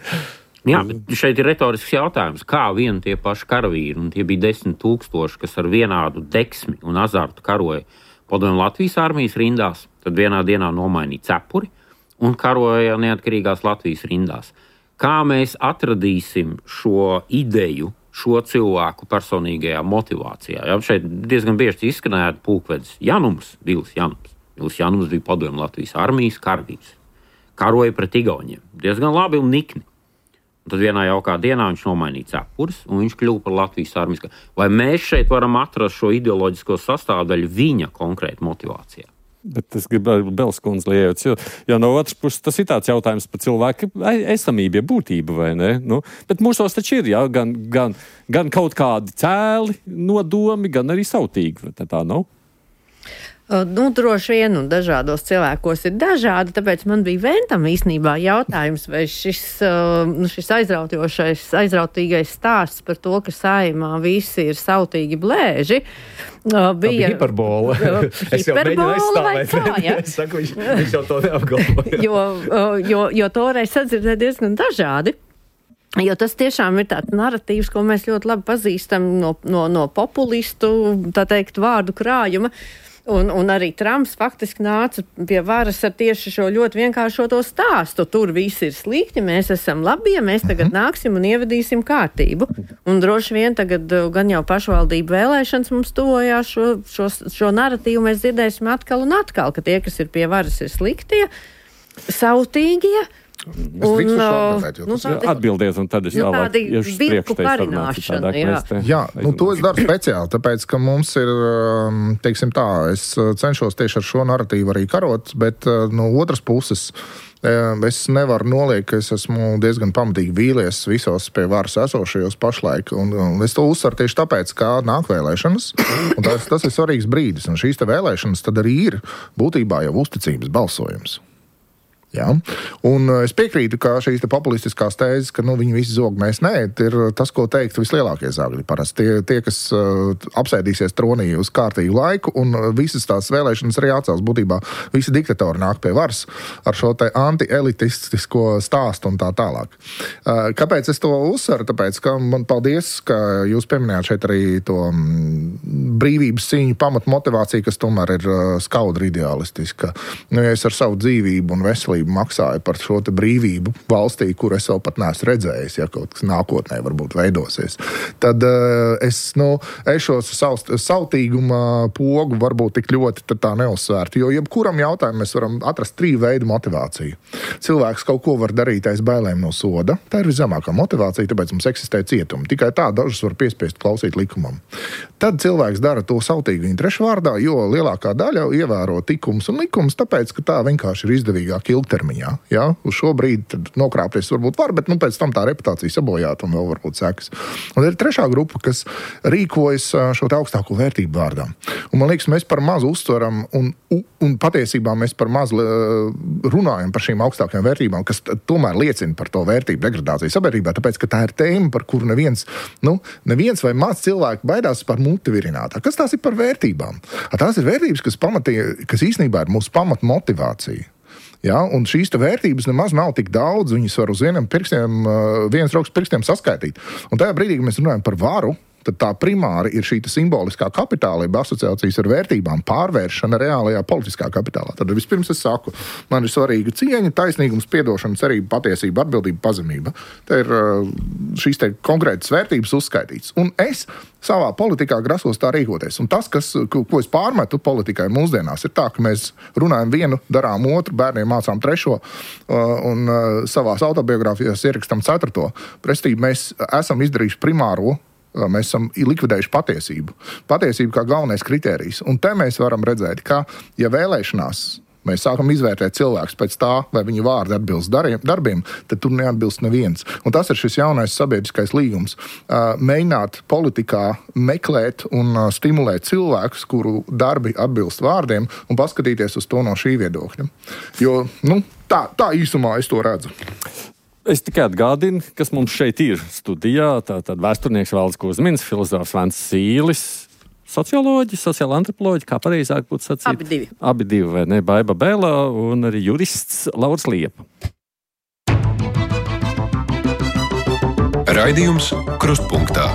Jā, bet šeit ir retorisks jautājums, kā vien tie paši karavīri, un tie bija desmit tūkstoši, kas ar vienādu deksmi un azartu karoja Padomju Latvijas armijas rindās, tad vienā dienā nomainīja cepuri un karoja neatkarīgās Latvijas rindās. Kā mēs atradīsim šo ideju, šo cilvēku personīgajā motivācijā? Jā, šeit diezgan bieži izskanēja pulkvedis Janums, Vils Janums. Vils Janums bija Padomju Latvijas armijas karavīrs. Karoja pret igauņiem. Diezgan labi un nikni. Un tad vienā jaukā dienā viņš nomainīja cepures un viņš kļuva par Latvijas armijas. Vai mēs šeit varam atrast šo ideoloģisko sastāvdaļu viņa konkrēti motivācijā? Bet es gribēju Belskundzi liejot, jo, jo no otras puses tas ir tāds jautājums par cilvēku esamību, būtību, vai ne? Nu, bet mūsos taču ir, jā, gan, gan, gan kaut kādi cēli nodomi, gan arī sautīgi, vai tā nav? Nu, droši vien, un dažādos cilvēkos ir dažādi, tāpēc man bija Ventam īstenībā jautājums, vai šis, šis aizraujošais, aizrautīgais stāsts par to, ka Saeimā visi ir sautīgi blēži, bija... Tā bija hiperbola. Es jau mēģinu aizstāvēt. Tā, ja? Es saku, viņš, viņš jau to neapgalvoja. jo, jo, jo toreiz sadzirdēja diezgan dažādi. Jo tas tiešām ir tāds naratīvs, ko mēs ļoti labi pazīstam no, no, no populistu, tā teikt, vārdu krājuma. Un, un arī Trumps faktiski nāca pie varas ar tieši šo ļoti vienkāršoto stāstu. Tur viss ir slikti, mēs esam labie, mēs tagad nāksim un ievedīsim kārtību. Un droši vien tagad gan jau pašvaldību vēlēšanas mums tuvojās šo, šo, šo naratīvu mēs dzirdēsim atkal un atkal, ka tie, kas ir pie varas, ir sliktie, sautīgie. Un, atbildēt, nu, tādi, atbildiet, un tad es nu, tālāk iešu vilku parināšana, jā. Te, jā, nu to es daru speciāli, tāpēc, ka mums ir, teiksim tā, es cenšos tieši ar šo narratīvu arī karot, bet no otras puses es nevaru noliekt, ka es esmu diezgan pamatīgi vīlies visos pie varas esošajos pašlaik, un, un es to uzsveru tieši tāpēc, kā nāk vēlēšanas, un tas, tas ir svarīgs brīdis, un šīs te vēlēšanas tad arī ir būtībā jau uzticības balsojums. Jā. Un es piekrītu, ka šīs te populistiskās tēzes, ka nu, viņi visi zog, mēs nē, ir tas, ko teikt vislielākie zāgļi parasti. Tie, tie, kas uh, apsēdīsies tronī uz kārtīgu laiku, un visas tās vēlēšanas arī atcels. Būtībā visi diktatori nāk pie varas ar šo te anti-elitistisko stāstu un tā tālāk. Uh, kāpēc es to uzsveru? Tāpēc, ka man paldies, ka jūs pieminējāt šeit arī to mm, brīvības cīņu pamatmotivāciju, kas tomēr ir uh, skaudri idealistiska. Nu, ja es ar savu dzīvību un veselību maksāja par šo te brīvību valstī, kur es vēl pat neesmu redzējis, ja kaut kas nākotnē varbūt veidosies. Tad uh, es, nu, es šo sautīguma pogu varbūt tik ļoti tad tā neuzsvērtu, jo jebkuram jautājumu mēs varam atrast trīs veidu motivāciju. Cilvēks kaut ko var darīt aiz bailēm no soda, tā ir viszemākā motivācija, tāpēc mums eksistē cietumi. Tikai tā dažus var piespiest klausīt likumam. Tad cilvēks dara to sautīgu interešu vārdā, jo lielākā daļa ievēro tikums un likums, tāpēc, ka tā vienkārši ir izdevīgāk ilgtermiņā. Ja? Uz šo brīdi tad nokrāpties varbūt var, bet nu, pēc tam tā reputācija sabojāt un vēl varbūt sekas. Un ir trešā grupa, kas rīkojas šo te augstāko vērtību vārdā. Un man liekas, mēs par mazu uztveram un, un patiesībā mēs par mazu runājam par šīm augstākajām vērtībām, kas tomēr liecina par to vērtību degradāciju sabiedrībā, tāpēc, ka tā ir tēma, par kuru neviens, nu, neviens vai maz cilvēki baidās par muti virinātā. Kas tās ir par vērtībām? Tās ir vērtības, kas, pamatī, kas īstenībā ir mūsu pamatmotivācija. Ja, un šīs vērtības nemaz nav tik daudz, viņas var uz vienam pirkstiem, vienas rokas pirkstiem saskaitīt. Un tajā brīdī, kad mēs runājam par varu, tad tā primāri ir šī simboliskā kapitāla, jeb asociācijas ar vērtībām pārvēršana reālajā politiskā kapitālā. Tad vispirms es saku, man ir svarīga cieņa, taisnīgums, piedošana, cerība, patiesība, atbildība, pazemība. Te ir šīs te konkrētas vērtības uzskaitītas. Un es savā politikā grasos tā rīkoties. Un tas, kas, ko es pārmetu politikai mūsdienās, ir tā, ka mēs runājam vienu, darām otru, bērniem mācām trešo un savās autobiogrāfijās ierakstam ceturto. Prestī mēs esam izdarījuši primāro. Mēs esam likvidējuši patiesību. Patiesību kā galvenais kritērijs. Un te mēs varam redzēt, ka, ja vēlēšanās mēs sākam izvērtēt cilvēkus pēc tā, vai viņu vārdi atbilst darbiem, tad tur neatbilst neviens. Un tas ir šis jaunais sabiedriskais līgums. Mēģināt politikā meklēt un stimulēt cilvēkus, kuru darbi atbilst vārdiem, un paskatīties uz to no šī viedokļa. Jo, nu, tā, tā īsumā es to redzu. Es tikai atgādinu, kas mums šeit ir studijā. Tātad vēsturnieks Valdis Kuzmins, filozofs Vents Sīlis, socioloģi, sociāla antropoloģi, kā pareizāk būtu sacīt. Abi divi. Abi divi, vai ne? Baiba Bēlā un arī jurists Lauris Liepa. Raidījums Krustpunktā.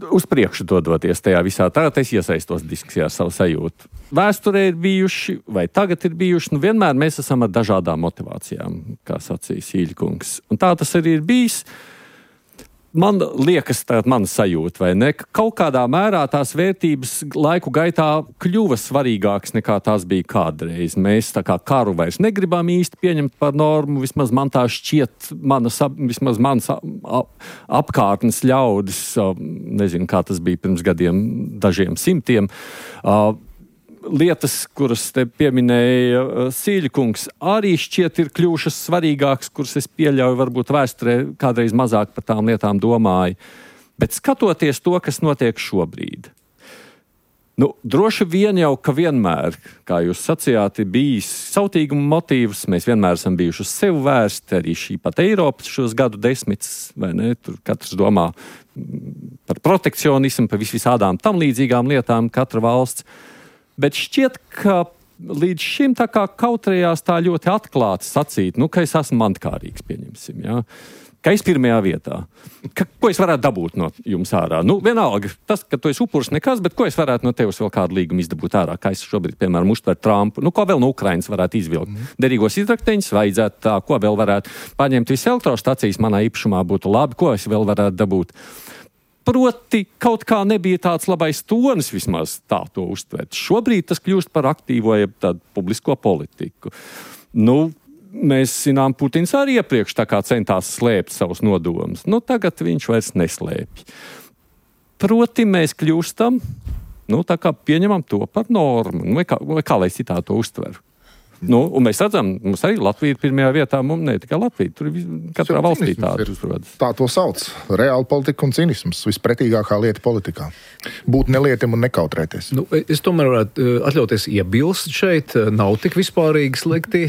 Uz priekšu dodoties tajā visā, tagad es iesaistos diskusijā ar savu sajūtu. Vēsturē ir bijuši, vai tagad ir bijuši, nu vienmēr mēs esam ar dažādām motivācijām, kā sacīja Sīļkungs. Un tā tas arī ir bijis. Man liekas, tagad mana sajūta, vai ne, ka kaut kādā mērā tās vērtības laiku gaitā kļuva svarīgākas nekā tās bija kādreiz. Mēs tā kā karu vairs negribam īsti pieņemt par normu, vismaz man tā šķiet, manas, vismaz manas apkārtnes ļaudis, nezinu, kā tas bija pirms gadiem, dažiem simtiem, lietas, kuras te pieminēja Sīļkungs, arī šķiet ir kļuvušas svarīgākas, kuras es pieļauju, varbūt vēsturē kādreiz mazāk par tām lietām domāju. Bet skatoties to, kas notiek šobrīd, nu, droši vien jau, ka vienmēr, kā jūs sacījāt, ir bijis sautīguma motīvs, mēs vienmēr esam bijuši uz sevi vērsti, arī šī pat Eiropas šos gadu desmitus, vai ne, tur katrs domā par protekcionismu, par vis visādām tam līdzīgām lietām, katra valsts. Bet šķiet, ka līdz šim tā kā kautrējās tā ļoti atklāti sacīt, nu, ka es esmu mantkārīgs, pieņemsim, jā. Ka es pirmajā vietā. Ka, ko es varētu dabūt no jums ārā? Nu, vienalga, tas, ka tu esi upurs nekas, bet ko es varētu no tevis vēl kādu līgumu izdabūt ārā? Kā es šobrīd, piemēram, uztveru Trumpu? Nu, ko vēl no Ukrainas varētu izvilkt? Mm. Derīgos izrakteņus vajadzētu tā, ko vēl varētu paņemt visu elektrostacijas manā īpašumā būtu labi, ko es vēl varētu dabūt? Proti, kaut kā nebija tāds labais tonis vismaz tā to uztvert. Šobrīd tas kļūst par aktīvo, jeb tādu publisko politiku. Nu, mēs zinām, Putins arī iepriekš tā kā centās slēpt savus nodomus. Nu, tagad viņš vairs neslēpj. Proti, mēs kļūstam, nu, tā kā pieņemam to par normu. Nu, vai kā, vai kā lai citā to uztveru? Nu, un mēs redzam, mums arī Latvija ir pirmajā vietā, mums ne tikai Latvija, tur katrā valstī tāda uzrodas. Tā to sauc. Reāla politika un cinisms. Vispretīgākā lieta politikā. Būt nelietim un nekautrēties. Nu, es tomēr varētu atļauties iebilst šeit. Nav tik vispārīgi slikti.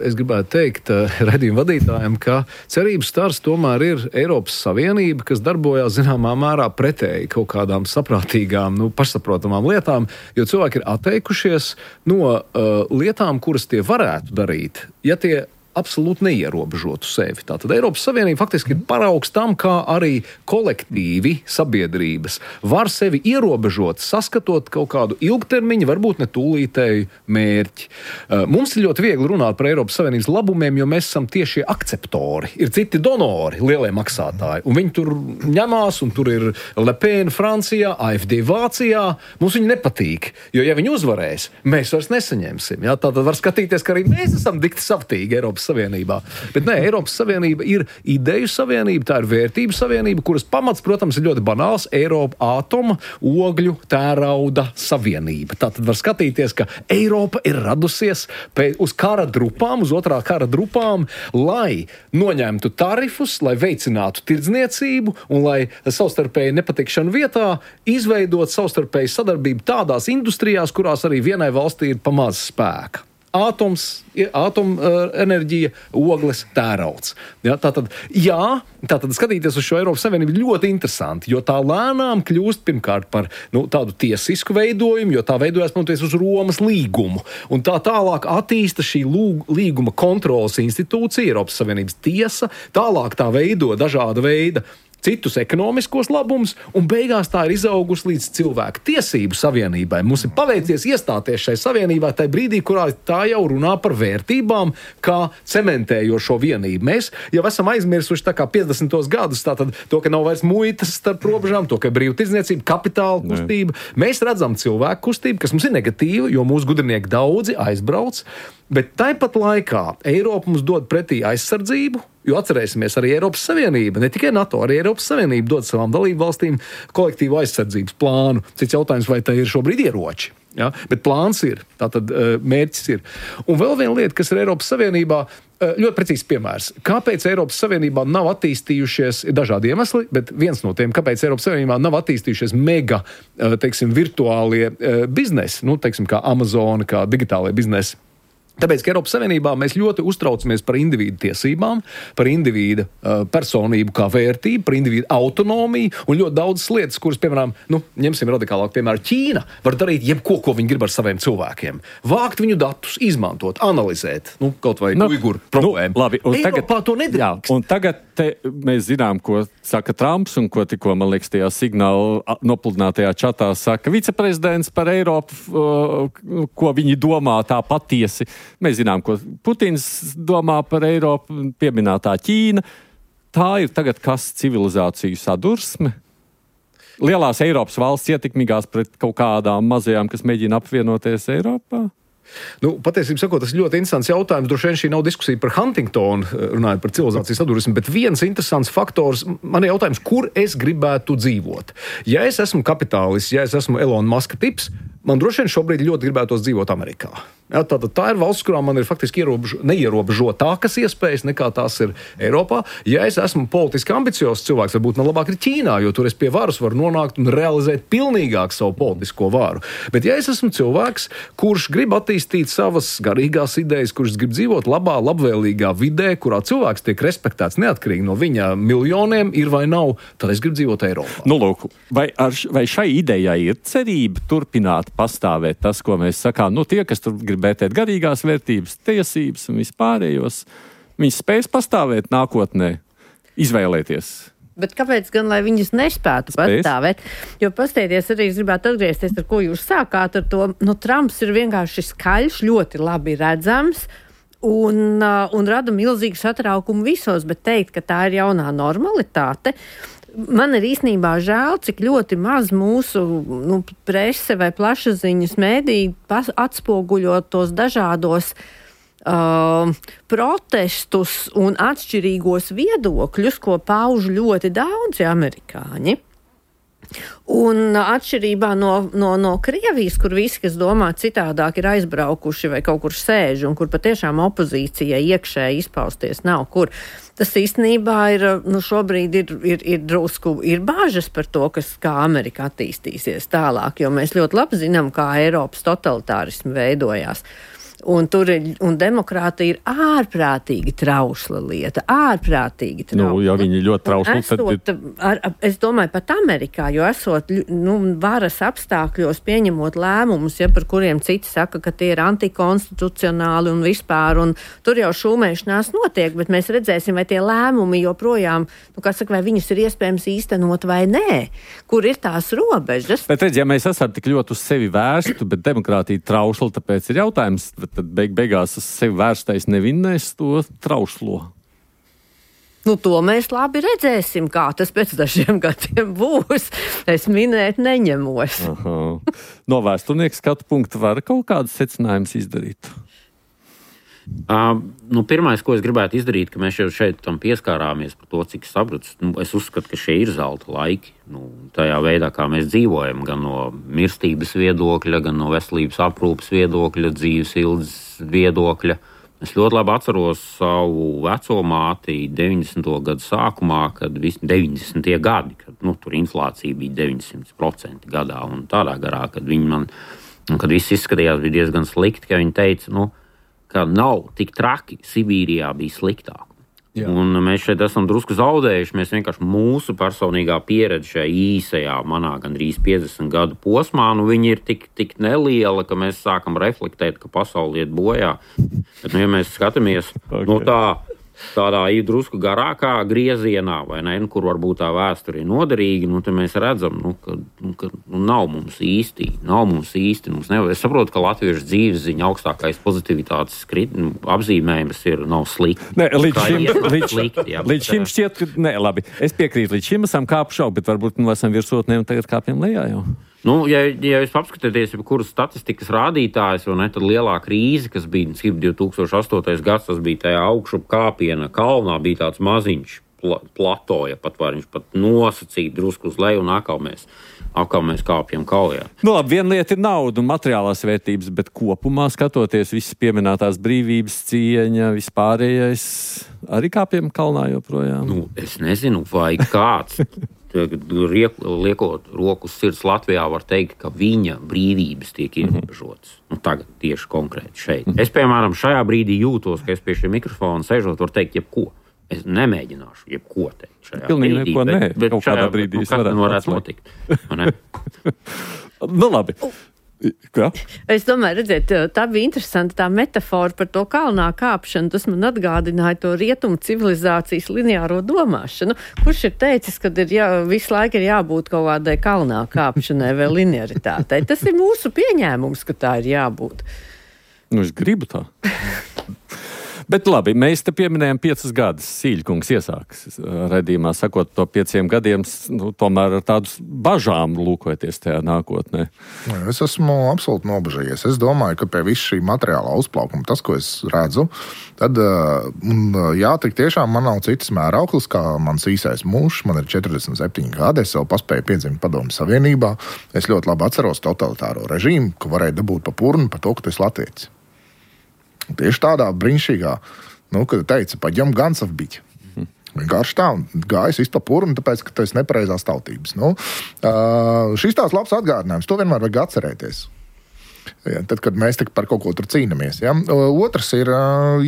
Es gribētu teikt redzījuma vadītājiem, ka cerības stars tomēr ir Eiropas Savienība, kas darbojās zināmā mērā pretēji kaut kādām saprātīgām, nu, pašsaprotamām lietām, jo cilvēki ir atteikušies no uh, lietām, kuras tie varētu darīt, ja tie absolūti neierobežotu sevi. Tātad Eiropas Savienība faktiski ir paraugs tam, kā arī kolektīvi sabiedrības var sevi ierobežot, saskatot kaut kādu ilgtermiņu, varbūt ne tūlītēju mērķi. Mums ir ļoti viegli runāt par Eiropas Savienības labumiem, jo mēs esam tieši akceptori. Ir citi donori, lielie maksātāji, un viņi tur ņemās, un tur ir Le Pen Francijā, A F D Vācijā. Mums viņi nepatīk, jo ja viņi uzvarēs, mēs vairs nesaņemsim. Ja? Tātad var skatīties, ka arī mēs esam dikti savtīgi Eiropas Savienībā. Bet nē, Eiropas Savienība ir ideju savienība, tā ir vērtību savienība, kuras pamats, protams, ir ļoti banāls - Eiropa ātoma, ogļu, tērauda savienība. Tātad var skatīties, ka Eiropa ir radusies pēc, uz kara drupām, uz otrā kara drupām, lai noņemtu tarifus, lai veicinātu tirdzniecību un lai savstarpēji nepatikšanu vietā izveidot savstarpēju sadarbību tādās industrijās, kurās arī vienai valstī ir pamaz spēka. Ātoms, atomenerģija, ogles, tērauds. Ja, tātad, jā, tātad skatīties uz šo Eiropas Savienību ļoti interesanti, jo tā lēnām kļūst pirmkārt par nu, tādu tiesisku veidojumu, jo tā veidojas pamatoties uz Romas līgumu. Un tā tālāk attīsta šī lūg, līguma kontrolas institūcija, Eiropas Savienības tiesa, tālāk tā veido dažāda veida citus ekonomiskos labumus, un beigās tā ir izaugusi līdz cilvēku tiesību savienībai. Mums ir paveicies iestāties šai savienībā tajā brīdī, kurā tā jau runā par vērtībām, kā cementējošo vienību. Mēs jau esam aizmirsuši tā kā piecdesmitos gadus, tātad to, ka nav vairs muitas starp robežām, to, ka ir brīva tirdzniecība, kapitāla kustība. Ne. Mēs redzam cilvēku kustību, kas mums ir negatīva, jo mūsu gudrinieki daudzi aizbrauc, bet tāpat laikā Eiropa mums dod pretī aizsardzību, jo atcerēsimies, arī Eiropas Savienība, ne tikai NATO, arī Eiropas Savienība dod savām dalību valstīm kolektīvu aizsardzības plānu. Cits jautājums, vai tā ir šobrīd ieroči. Ja? Bet plāns ir, tātad mērķis ir. Un vēl viena lieta, kas ir Eiropas Savienībā, ļoti precīzs piemērs. Kāpēc Eiropas Savienībā nav attīstījušies, ir dažādi iemesli, bet viens no tiem, kāpēc Eiropas Savienībā nav attīstījušies mega, teiksim, virtuālie biznesi, nu, teiksim, kā Amazon, kā digitālie biznesi. Tāpēc, ka Eiropas Savienībā mēs ļoti uztraucamies par individu tiesībām, par individu uh, personību kā vērtību, par individu autonomiju un ļoti daudzas lietas, kuras, piemēram, nu, ņemsim radikālāk, piemēram, Ķīna var darīt jebko, ko viņi grib ar saviem cilvēkiem. Vākt viņu datus, izmantot, analizēt, nu, kaut vai nu, uiguru problēmu. Nu, labi, un Eiropā tagad, to nedrīkst. Jā, un tagad te mēs zinām, ko saka Trumps un ko tikko, man liekas, tajā signāla nopludinātajā čatā saka viceprezidents par Eiropu, uh, ko viņi domā tā patiesi. Mēs zinām, ko Putins domā par Eiropu, pieminētā Ķīna. Tā ir tagad kas civilizāciju sadursme? Lielās Eiropas valsts ietekmīgās pret kaut kādām mazajām, kas mēģina apvienoties Eiropā? Nu, patiesībā sakot, tas ir ļoti interesants jautājums. Droši vien šī nav diskusija par Huntingtonu, runājot par civilizācijas sadursmi, bet viens interesants faktors, man ir jautājums, kur es gribētu dzīvot. Ja es esmu kapitālists, ja es esmu Elona Muska tips, man droši vien šobrīd ļoti gribētos dzīvot Amerikā. Ja, tā, tā ir valsts, kurām man ir faktiski ierobežo, neierobežotākas iespējas nekā tās ir Eiropā. Ja es esmu politiski ambiciozs cilvēks, varbūt man labāk ir Ķīnā, jo tur es pie varas varu nonākt un realizēt pilnīgāk savu politisko varu. Bet ja es esmu cilvēks, kurš grib attīstīt savas garīgās idejas, kurš grib dzīvot labā, labvēlīgā vidē, kurā cilvēks tiek respektēts neatkarīgi no viņa miljoniem, ir vai nav, tad es gribu dzīvot Eiropā. Nu, lūk, vai, ar, vai šai idejai ir cerība turpināt pastāvēt tas, ko mēs sakām. Nu, tie, kas tur grib vērtēt garīgās vērtības, tiesības un vispārējos, viņi spēs pastāvēt nākotnē, izvēlēties. Bet kāpēc gan, lai viņas nespētu Spēc? pastāvēt? Jo pastieties arī, es gribētu atgriezties, ar ko jūs sākāt ar to. Nu, Trumps ir vienkārši skaļš, ļoti labi redzams un, uh, un rada milzīgu satraukumu visos, bet teikt, ka tā ir jaunā normalitāte. Man ir īstenībā žēl, cik ļoti maz mūsu nu, prese vai plašsaziņas mēdī atspoguļo tos dažādos Uh, protestus un atšķirīgos viedokļus, ko pauž ļoti daudzi amerikāņi. Un atšķirībā no, no, no Krievijas, kur visi, kas domā citādāk, ir aizbraukuši vai kaut kur sēž, un kur patiešām opozīcijai iekšēji izpausties nav kur. Tas īstenībā ir, nu šobrīd ir, ir, ir drusku, ir bāžas par to, kas, kā Amerika attīstīsies tālāk, jo mēs ļoti labi zinām, kā Eiropas totalitārismi veidojās. Un tur ir, un demokrātija ir ārprātīgi trausla lieta, ārprātīgi trausla. Nu, ja viņi ļoti trausli, esot, tad... Ar, es domāju pat Amerikā, jo esot, nu, varas apstākļos pieņemot lēmumus, ja par kuriem citi saka, ka tie ir antikonstitucionāli un vispār, un tur jau šūmēšanās notiek, bet mēs redzēsim, vai tie lēmumi joprojām, nu, kā saka, vai viņus ir iespējams īstenot vai nē, kur ir tās robežas. Bet redz, ja mēs esam tik ļoti uz sevi vērstu, bet demokrātija trausla, tāpēc ir jautājums, tad beig beigās uz sevi vērstais nevinnēs to trauslo. Nu, to mēs labi redzēsim, kā tas pēc dažiem gadiem būs. Es minēt neņemos. Aha. No vēsturnieka skatu punkta var kaut kādus secinājumus izdarīt? Uh, nu, pirmais, ko es gribētu izdarīt, ka mēs jau šeit tam pieskārāmies par to, cik sabrats. Nu, es uzskatu, ka šie ir zelta laiki. Nu, tajā veidā, kā mēs dzīvojam, gan no mirstības viedokļa, gan no veselības aprūpes viedokļa, dzīves ilgas viedokļa. Es ļoti labi atceros savu veco māti deviņdesmito gadu sākumā, kad visi deviņdesmitie gadi, kad nu, tur inflācija bija deviņsimt procenti gadā un tādā garā, kad viņi man, kad viss izskatījās bija diezgan slikti, ka viņi teica, nu, ka nav tik traki, Sibīrijā bija sliktāk. Jā. Un mēs šeit esam drusku zaudējuši, mēs vienkārši mūsu personīgā pieredze šajā īsajā, manā gandrīz piecdesmit gadu posmā, nu viņi ir tik, tik neliela, ka mēs sākam reflektēt, ka pasauli iet bojā. Bet, nu, ja mēs skatāmies okay. no tā, tādā ir drusku garākā griezienā, vai ne, kur varbūt tā vēsture ir noderīga, nu, tad mēs redzam, nu, ka, nu, ka nu, nav mums īsti, nav mums īsti, mums nevar. Es saprotu, ka latviešu dzīves ziņa augstākais pozitivitātes skrit, nu, apzīmējums ir nav slikti. Ne, līdz šim, līdz, slikti, jā, līdz šim šķiet, ka, ne, labi, es piekrītu, līdz šim esam kāpuši augstu, bet varbūt nu esam virsotnē un tagad kāpjam lejā jau. Nu, ja, ja jūs apskatāties, kuras statistikas rādītājs, vai ne, tad lielā krīze, kas bija divi tūkstoši astotais gads, tas bija tajā augšup kāpiena kalnā, bija tāds maziņš pla, platoja, pat var viņš pat nosacīt drusku uz leju un atkal mēs, atkal mēs kāpjam kaujā. Nu, labi, viena lieta ir nauda un materiālās vērtības, bet kopumā skatoties visas pieminētās brīvības, cieņa, vispārējais, arī kāpjam kalnā joprojām. Nu, es nezinu, vai kāds... liekot roku uz sirds Latvijā, var teikt, ka viņa brīvības tiek ierobežotas. Nu, tagad tieši konkrēti šeit. Es, piemēram, šajā brīdī jūtos, ka es pie šī mikrofona sēžot, varu teikt jebko. Es nemēģināšu jebko teikt šajā Pilnīgi brīdī. Neko bet, nē, bet kaut kādā šajā, brīdī nu, kas varētu notikt? Ne? Nu, labi. Kā? Es domāju, redziet, tā bija interesanta tā metafora par to kalnā kāpšanu. Tas man atgādināja to rietumu civilizācijas lineāro domāšanu. Kurš ir teicis, ka ir jā, visu laiku ir jābūt kaut kādai kalnā kāpšanai vai linearitātei? Tas ir mūsu pieņēmums, ka tā ir jābūt. Nu, es gribu tā. Bet labi, mēs te pieminējam piecus gadus. Sīļkungs iesāks redzījumā, sakot to pieciem gadiem, nu, tomēr ar tādus bažām lūkojoties tajā nākotnē. Es esmu absolūti nobažījies. Es domāju, ka pie visu šī materiālā uzplaukuma, tas, ko es redzu, tad, un, jā, tik tiešām man nav citas mērauklis, kā mans īsais mūžs. Man ir četrdesmit septiņi gadi, es vēl paspēju piedzimt Padomju Savienībā. Es ļoti labi atceros totalitāro režīmu, ka varēja dabūt pa purnu par to, ka tu esi latvietis. Tieši tādā brīnišķīgā, nu, kad teica, paģem gansaf biķi. Vienkārši tā, un gājis visu pa purnu, tāpēc, ka tu esi nepareizās tautības. Nu, uh, šis tās labs atgādinājums, to vienmēr vajag atcerēties. Ja, tad, kad mēs par kaut ko tur cīnamies. Ja. Otrs ir,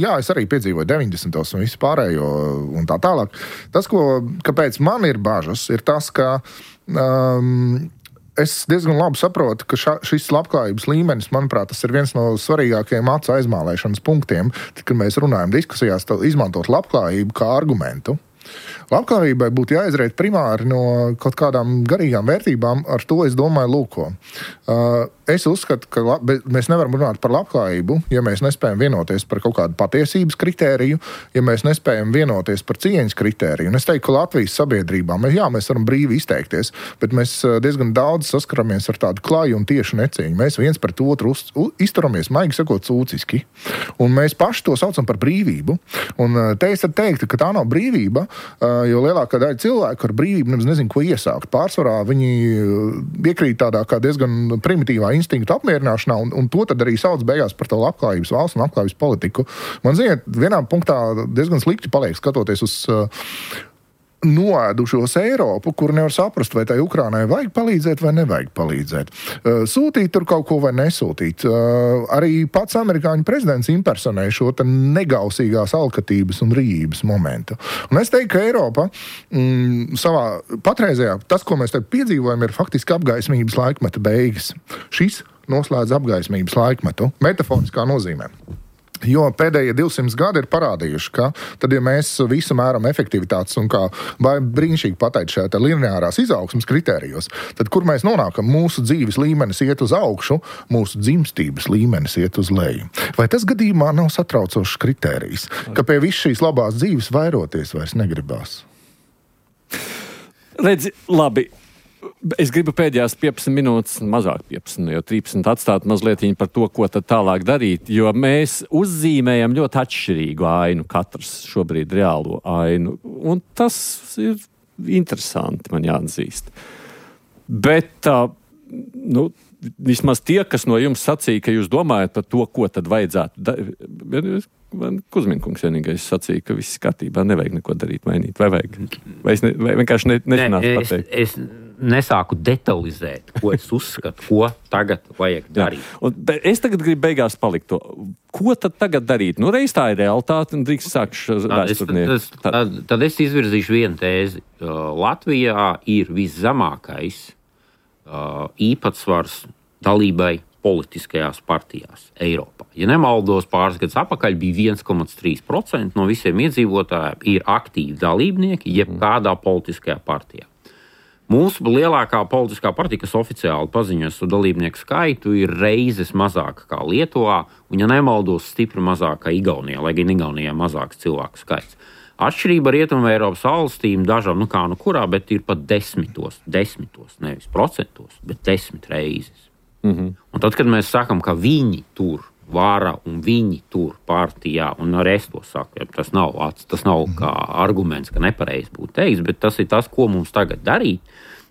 jā, es arī piedzīvoju deviņdesmitos un visu pārējo un tā tālāk. Tas, ko, kāpēc man ir bažas, ir tas, ka um, es diezgan labi saprotu, ka ša, šis labklājības līmenis, manuprāt, tas ir viens no svarīgākajiem acu aizmālēšanas punktiem, tad, kad mēs runājam diskusijās, izmantot labklājību kā argumentu. Labklājībai būtu jāizriet primāri no kaut kādām garīgām vērtībām, ar to es domāju lūko. Uh, es uzskatu, ka lab, mēs nevaram runāt par labklājību, ja mēs nespējam vienoties par kaut kādu patiesības kritēriju, ja mēs nespējam vienoties par cieņas kritēriju. Un es teiktu, ka Latvijas sabiedrībā, mēs, jā, mēs varam brīvi izteikties, bet mēs diezgan daudz saskaramies ar tādu klaju un tiešu necieņu. Mēs viens pret otru uz, uz, izturamies, maigi sakot, cūciski. Un mēs paši to saucam par brīvību. Un te es tad teiktu, ka tā nav brīvība, jo lielākā daļa cilvēku ar brīvību nemaz nezinu, ko iesākt. Pārsvarā viņi iekrīt tādā kā diezgan primitīvā instinktu apmierināšanā, un, un to tad arī sauc beigās par to labklājības valsts un labklājības politiku. Man, ziniet, vienā punktā diezgan slikti paliek skatoties uz uh, noēdušos Eiropu, kur nevar saprast, vai tai Ukrainai vajag palīdzēt vai nevajag palīdzēt. Uh, sūtīt tur kaut ko vai nesūtīt. Uh, arī pats amerikāņu prezidents impersonē šo te negausīgās alkatības un rījības momentu. Un es teiktu, ka Eiropa mm, savā patreizējā, tas, ko mēs te piedzīvojam, ir faktiski apgaismības laikmeta beigas. Šis noslēdz apgaismības laikmetu, metaforiskā nozīmē. Jo pēdējie divsimt gadi ir parādījuši, ka tad, ja mēs visu mēram efektivitātes un kā brīnišķīgi pateikt šajā lineārās izaugsmas kritērijos, tad kur mēs nonākam? Mūsu dzīves līmenis iet uz augšu, mūsu dzimstības līmenis iet uz leju. Vai tas gadījumā nav satraucošs kritērijs, ka pie visas šīs labās dzīves vairoties vairs negribās? Redzi, labi. Es gribu pēdējās piecpadsmit minūtes, mazāk piecpadsmit, jo trīsdesmit atstāt mazliet par to, ko tad tālāk darīt, jo mēs uzzīmējam ļoti atšķirīgu ainu, katrs šobrīd reālo ainu, un tas ir interesanti, man jāatzīst. Bet, uh, nu, vismaz tie, kas no jums sacīja, ka jūs domājat par to, ko tad vajadzētu darīt, Kuzminkungs vienīgais sacīja, ka viss skatībā, nevajag neko darīt, mainīt, vai vajag? Vai es ne, vai vienkārši ne, nezinās ne, pateikt? Es, es nesāku detalizēt, ko es uzskatu, ko tagad vajag darīt. Jā. Un es tagad gribu beigās palikt to. Ko tad tagad darīt? Nu, reiz tā ir realitāte, un drīkst sākšu vēsturnieku. Tad, tad, tad es izvirzīšu vienu tēzi. Latvijā ir viszemākais īpatsvars dalībai politiskajās partijās Eiropā. Ja nemaldos, pāris gadus atpakaļ bija viens komats trīs procenti no visiem iedzīvotājiem ir aktīvi dalībnieki jebkādā politiskajā partijā. Mūsu lielākā politiskā partija, kas oficiāli paziņoja savu dalībnieku skaitu, ir reizes mazāka kā Lietuvā, un, ja nemaldos, stipri mazāka kā Igaunijā, lai gan Igaunijā mazāks cilvēku skaits. Atšķirība ar Rietumu Eiropas valstīm dažām, nu kā nu kurā, bet ir pat desmitos, desmitos, nevis procentos, bet desmit reizes. Mm-hmm. Un tad, kad mēs sakam, ka viņi tur vara un viņi tur partijā, un arī es to saku, tas nav, tas nav kā arguments, ka nepareizi būtu teiks, bet tas ir tas, ko mums tagad darīt.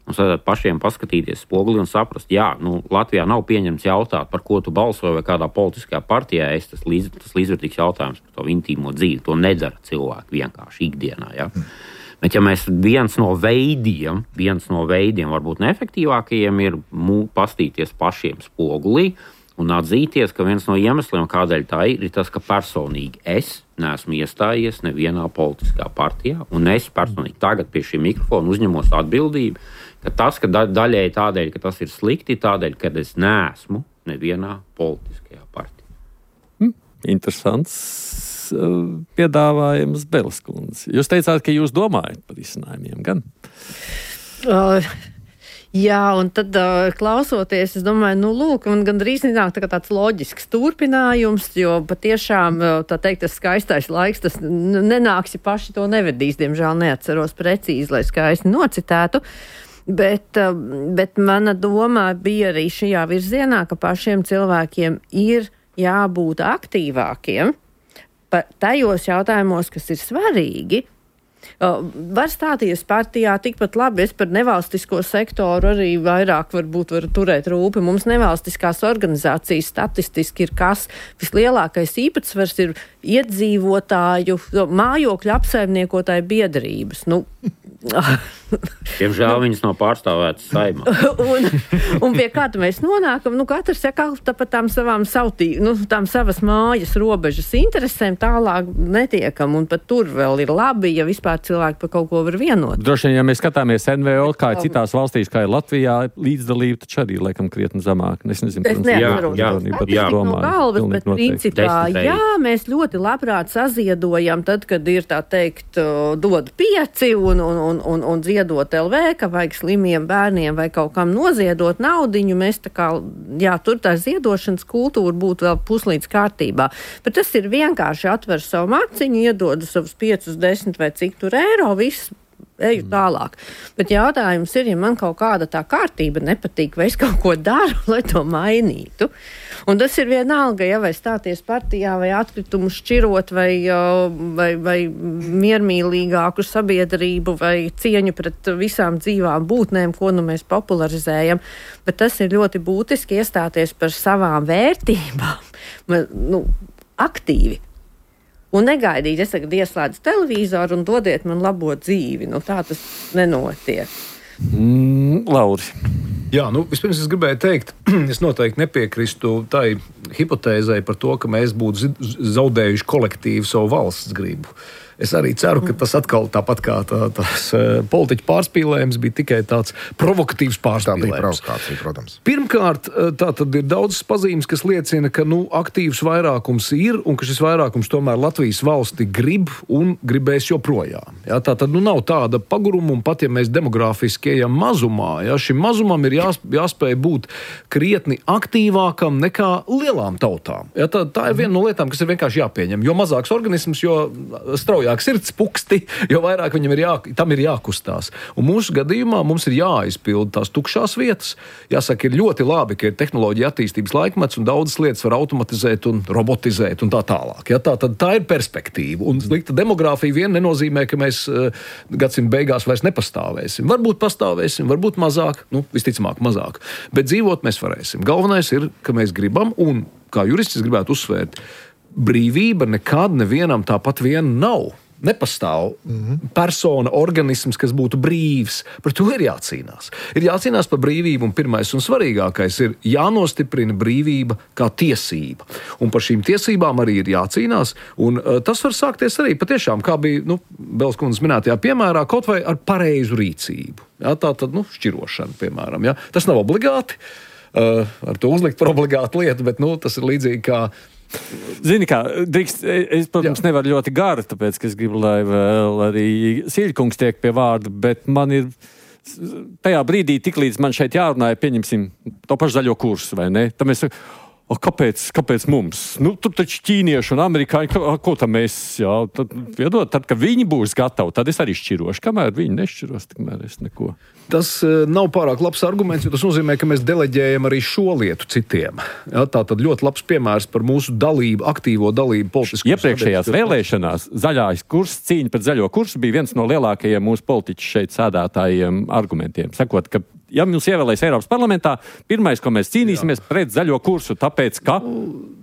Mums vajadzētu pašiem paskatīties spoguli un saprast, jā, nu, Latvijā nav pieņemts jautāt, par ko tu balsoji vai kādā politiskajā partijā, es tas, līdz, tas līdzvērtīgs jautājums par to intīmo dzīvi, to nedara cilvēki vienkārši ikdienā, jā. Mm. Bet ja mēs viens no veidiem, viens no veidiem varbūt neefektīvākajiem ir mū, pastīties pašiem spogulī un atzīties, ka viens no iemesliem, kādēļ tā ir, ir tas, ka personīgi es neesmu iestājies nevienā politiskā partijā, un es personīgi tagad pie šī mikrofona uzņemos atbildību, ka tas, ka da- daļēji tādēļ, ka tas ir slikti, tādēļ, ka es neesmu nevienā politiskajā partijā. Hmm, interesants piedāvājums Beles kundze. Jūs teicāt, ka jūs domājat par izcinājumiem, gan? Uh, jā, un tad uh, klausoties, es domāju, nu lūk, un gandrīz nāk tā tāds loģisks turpinājums, jo patiešām, tā teikt, tas skaistais laiks, tas nenāks, ja paši to nevedīs, diemžēl neatceros precīzi, lai skaisti nocitētu. Bet, bet mana doma bija arī šajā virzienā, ka pašiem cilvēkiem ir jābūt aktīvākiem par tajos jautājumos, kas ir svarīgi. Var stāties partijā tikpat labi, es par nevalstisko sektoru arī vairāk varbūt varu turēt rūpi. Mums nevalstiskās organizācijas statistiski ir kas vislielākais īpatsvars ir iedzīvotāju, mājokļu apsaimniekotāju biedrības. Nu, Diemžēl viņas nav pārstāvētas Saeimā. un, un pie kā mēs nonākam, nu katrs saka par tām savām sautī, nu tām savas mājas robežas interesēm tālāk netiekam, un pat tur vēl ir labi, ja vispār cilvēki par kaut ko var vienot. Droši vien, ja mēs skatāmies N V O, kā ir citās valstīs, kā ir Latvijā, līdzdalība taču arī laikam krietni zamāk. Es nezinu, es neatceros, jā, jā, jā, no galvas, bet principā, jā, mēs ļoti labprāt saziedojam tad, kad ir tā teikt, dod pieci un, un, un, un, un ziedot L V, ka vajag slimiem bērniem vai kaut kam noziedot naudiņu, mēs tā kā, jā, tur tā ziedošanas kultūra būtu vēl puslīdz kārtībā. Bet tas ir vienkārši atver savu maciņu, iedod savus piecus, desmit vai cik tur eiro, viss eju tālāk. Bet jautājums ir, ja man kaut kāda tā kārtība nepatīk, vai es kaut ko daru, lai to mainītu. Un tas ir vienalga, ja vai stāties partijā, vai atkritumu šķirot, vai, vai, vai miermīlīgāku sabiedrību, vai cieņu pret visām dzīvām būtnēm, ko nu mēs popularizējam. Bet tas ir ļoti būtiski iestāties par savām vērtībām, nu, aktīvi. Un negaidīt, es tagad ieslēdzu televizoru un dodiet man labo dzīvi. Nu, tā tas nenotiek. Mm, Lauri. Jā, nu, vispirms es gribēju teikt, es noteikti nepiekrīstu tai hipotēzei par to, ka mēs būtu zaudējuši kolektīvu savu valsts gribu. Es arī ceru, ka tas atkal tāpat kā tā, tās politiķu pārspīlējums bija tikai tāds provokatīvs pārspīlējums. Tā bija provokācija, protams. Pirmkārt, tā tad ir daudz pazīmes, kas liecina, ka nu, aktīvs vairākums ir un ka šis vairākums tomēr Latvijas valsti grib un gribēs joprojām. Jā, tā tad nu, nav tāda paguruma, un pat ja mēs demogrāfiski ejam mazumā, jā, šim mazumam ir jās, jāspēj būt krietni aktīvākam nekā lielām tautām. Jā, tā, tā ir viena no lietām, kas ir vienkārši jāpieņem. Jo mazāks organisms, jo straujāk sirds puksti, jo vairāk viņam ir, jā, tam ir jākustās. Un mūsu gadījumā mums ir jāizpilda tās tukšās vietas. Jāsaka, ir ļoti labi, ka ir tehnoloģija attīstības laikmets un daudzas lietas var automatizēt un robotizēt un tā tālāk. Ja, tā, tad tā ir perspektīva. Un slikta demogrāfija vien nenozīmē, ka mēs uh, gadsimta beigās vairs nepastāvēsim. Varbūt pastāvēsim, varbūt mazāk, nu, visticamāk mazāk. Bet dzīvot mēs varēsim. Galvenais ir, ka mēs gribam, un kā jurists gribētu uzsvērt, brīvība nekad nevienam tāpat vien nav. Nepastāv mm-hmm. persona, organisms, kas būtu brīvs. Par to ir jācīnās. Ir jācīnās par brīvību, un pirmais un svarīgākais ir jānostiprina brīvība kā tiesība. Un par šīm tiesībām arī ir jācīnās, un uh, tas var sākties arī patiešām, kā bija, nu, Bels kundzes minētajā piemērā, kaut vai ar pareizu rīcību. Jā, tā tad, nu, šķirošana, piemēram. Jā. Tas nav obligāti, uh, ar to uzlikt par obligātu lietu, bet, nu, tas ir līdzīgi kā Zini kā, drīkst, es, protams, Jā. nevaru ļoti gari, tāpēc, ka es gribu, lai vēl arī Sīļkungs tiek pie vārda, bet man ir tajā brīdī, tik līdz man šeit jārunāja, pieņemsim to pašu zaļo kursu, vai ne? Tad mēs O, kāpēc, kāpēc mums? Nu, tur taču ķīnieši un amerikāņi, ko, ko tam mēs, jā, tad, piedod, tad, kad viņi būs gatavi, tad es arī šķirošu. Kamēr viņi nešķiros, tikmēr es neko. Tas uh, nav pārāk labs arguments, jo tas nozīmē, ka mēs deleģējam arī šo lietu citiem. Jā, tā tad ļoti labs piemērs par mūsu dalību, aktīvo dalību politiskos. Iepriekšējās vēlēšanās zaļais kurs, cīņa pret zaļo kursu bija viens no lielākajiem mūsu politiķu šeit sēdētājiem argumentiem. Sakot, ka ja mums ievēlēs Eiropas parlamentā, pirmais, ko mēs cīnīsimies Jā. pret zaļo kursu, tāpēc, ka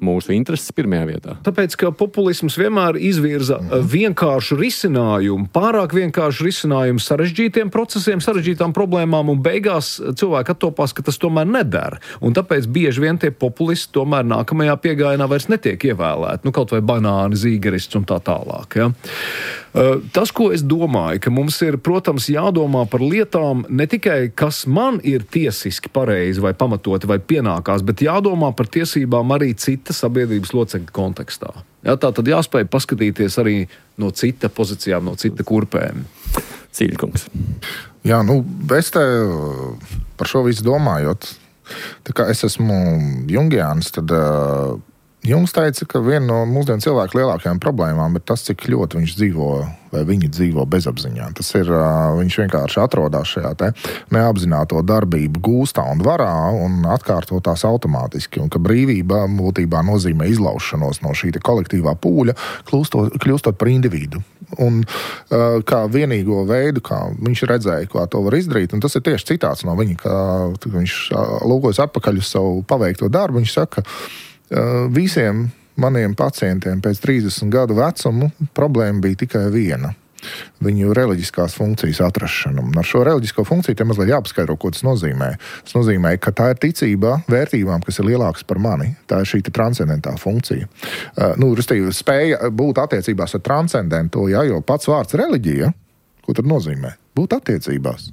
mūsu intereses pirmajā vietā. Tāpēc, ka populisms vienmēr izvirza vienkāršu risinājumu, pārāk vienkāršu risinājumu sarežģītiem procesiem, sarežģītām problēmām, un beigās cilvēki attopās, ka tas tomēr nedara. Un tāpēc bieži vien tie populisti tomēr nākamajā piegājienā vairs netiek ievēlēti. Nu, kaut vai banāni, zīgerists un tā tālāk. Ja? Tas, ko es domāju, ka mums ir, protams, jādomā par lietām ne tikai, kas man ir tiesiski pareizi vai pamatoti vai pienākās, bet jādomā par tiesībām arī cita sabiedrības locekļa kontekstā. Jā, tā tad jāspēj paskatīties arī no cita pozīcijām, no cita kurpēm. Cīļkungs. Jā, nu, es te par šo visu domājot, tā kā es esmu jungiāns, tad uh, Jungs teica, ka viena no mūsdienu cilvēku lielākajām problēmām ir tas, cik ļoti viņš dzīvo vai viņi dzīvo bezapziņā. Tas ir, viņš vienkārši atrodas šajā te neapzināto darbību gūstā un varā un atkārto tās automātiski. Un ka brīvība būtībā nozīmē izlaušanos no šī kolektīvā pūļa, kļūstot, kļūstot par individu. Un kā vienīgo veidu, kā viņš redzēja, kā to var izdarīt, un tas ir tieši citāts no viņa, ka viņš lūkojas atpakaļ uz savu paveikto darbu, viņš saka, visiem maniem pacientiem pēc trīsdesmit gadu vecumu problēma bija tikai viena. viņu reliģiskās funkcijas atrašanu. Un ar šo reliģisko funkciju te mazliet jāpaskaidro, ko tas nozīmē. Tas nozīmē, ka tā ir ticība vērtībām, kas ir lielākas par mani. Tā ir šī transcendentā funkcija. Uh, nu, restīvi, spēja būt attiecībās ar transcendentu, ja, jo pats vārds reliģija, ko tad nozīmē? Būt attiecībās.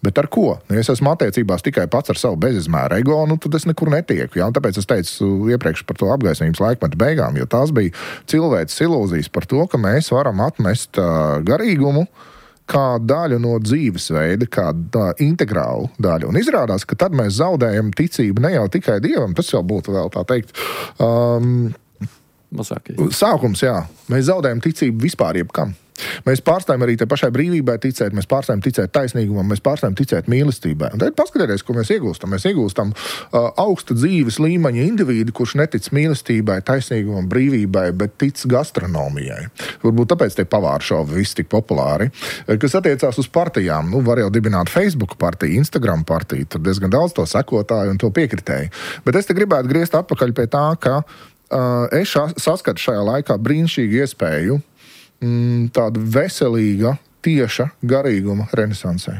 Bet ar ko? Nu, ja es esmu attiecībās tikai pats ar savu bezizmēru ego, nu, tad es nekur netieku. Ja? Un tāpēc es teicu iepriekš par to apgaismības laikmetu beigām, jo tās bija cilvēces ilūzijas par to, ka mēs varam atmest uh, garīgumu kā daļu no dzīvesveida, kā tā, integrālu daļu. Un izrādās, ka tad mēs zaudējam ticību ne jau tikai Dievam, tas jau būtu vēl tā teikt. Um, Mazākais. Sākums, jā. Mēs zaudējam ticību vispār jebkam. Mēs pārstājam arī te pašai brīvībai ticēt, mēs pārstājam ticēt taisnīgumam, mēs pārstājam ticēt mīlestībai. Un tad paskatieties, ko mēs iegūstam. Mēs iegūstam uh, augsta dzīves līmeņa individu, kurš netic mīlestībai, taisnīgumam, brīvībai, bet tic gastronomijai. Varbūt tāpēc tie pavāru šovi visi tik populāri. Kas attiecās uz partijām, nu, var jau dibināt Facebook partiju, Instagram partiju, tur diezgan daudz to sekotāju un to piekritēju. Bet es te gribētu griezt atpakaļ pie tā, ka uh, es saskatu šajā laikā brīnišķīgu iespēju tāda veselīga, tieša garīguma renesansē.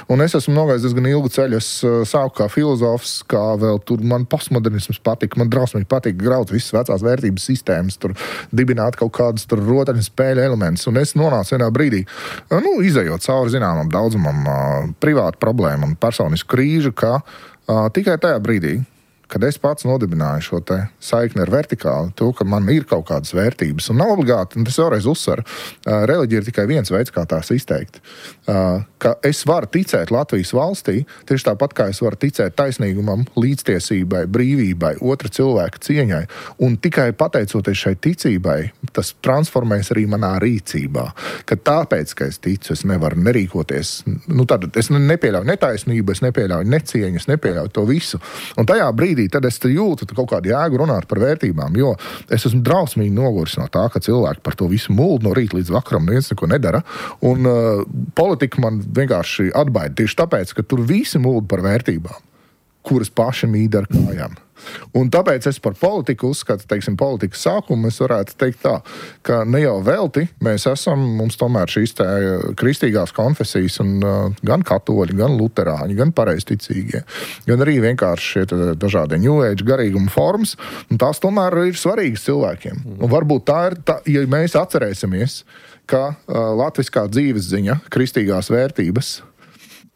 Un es esmu nogājis diezgan ilgu ceļu. Es sāku kā filozofs, kā vēl tur man postmodernisms patika. Man drausmīgi patika graut visas vecās vērtības sistēmas, tur dibināt kaut kādas tur rotaļu spēļu elementus. Un es nonācu vienā brīdī, nu, izejot cauri zināmam daudzumam privātu problēmu un personisku krīžu, ka tikai tajā brīdī, kad es pats nodibināju šo te saikni ar vertikāli, to, ka man ir kaut kādas vērtības. Un nav obligāti, un tas vēlreiz uzsver, reliģija ir tikai viens veids, kā tās izteikt. Ka es varu ticēt Latvijas valstī, tieši tāpat kā es varu ticēt taisnīgumam, līdztiesībai, brīvībai, otra cilvēka cieņai. Un tikai pateicoties šai ticībai, tas transformēs arī manā rīcībā. Ka tāpēc, ka es ticu, es nevaru nerīkoties. Nu, tad es nepieļauju netaisnību, es nepieļauju necieņu, es nepieļauju to visu. Un tajā brīdī tad es jūtu kaut kādu jēgu runāt par vērtībām, jo es esmu drausmīgi noguris no tā, ka cilvēki par to visu muldu no rīta līdz vakaram neviens neko nedara. Un uh, politika man vienkārši atbaida tieši tāpēc, ka tur visi mulda par vērtībām, kuras paši mīd ar kājām. Un tāpēc es par politiku uzskatu, teiksim, politikas sākumu, es varētu teikt tā, ka ne jau velti mēs esam, mums tomēr šīs tā kristīgās konfesijas un uh, gan katoļi, gan luterāņi, gan pareizticīgie, gan arī vienkārši šie dažādi New Age garīguma formas, un tās tomēr ir svarīgas cilvēkiem. Un varbūt tā ir, tā, ja mēs atcerēsimies, ka uh, latviskā dzīves ziņa, kristīgās vērtības,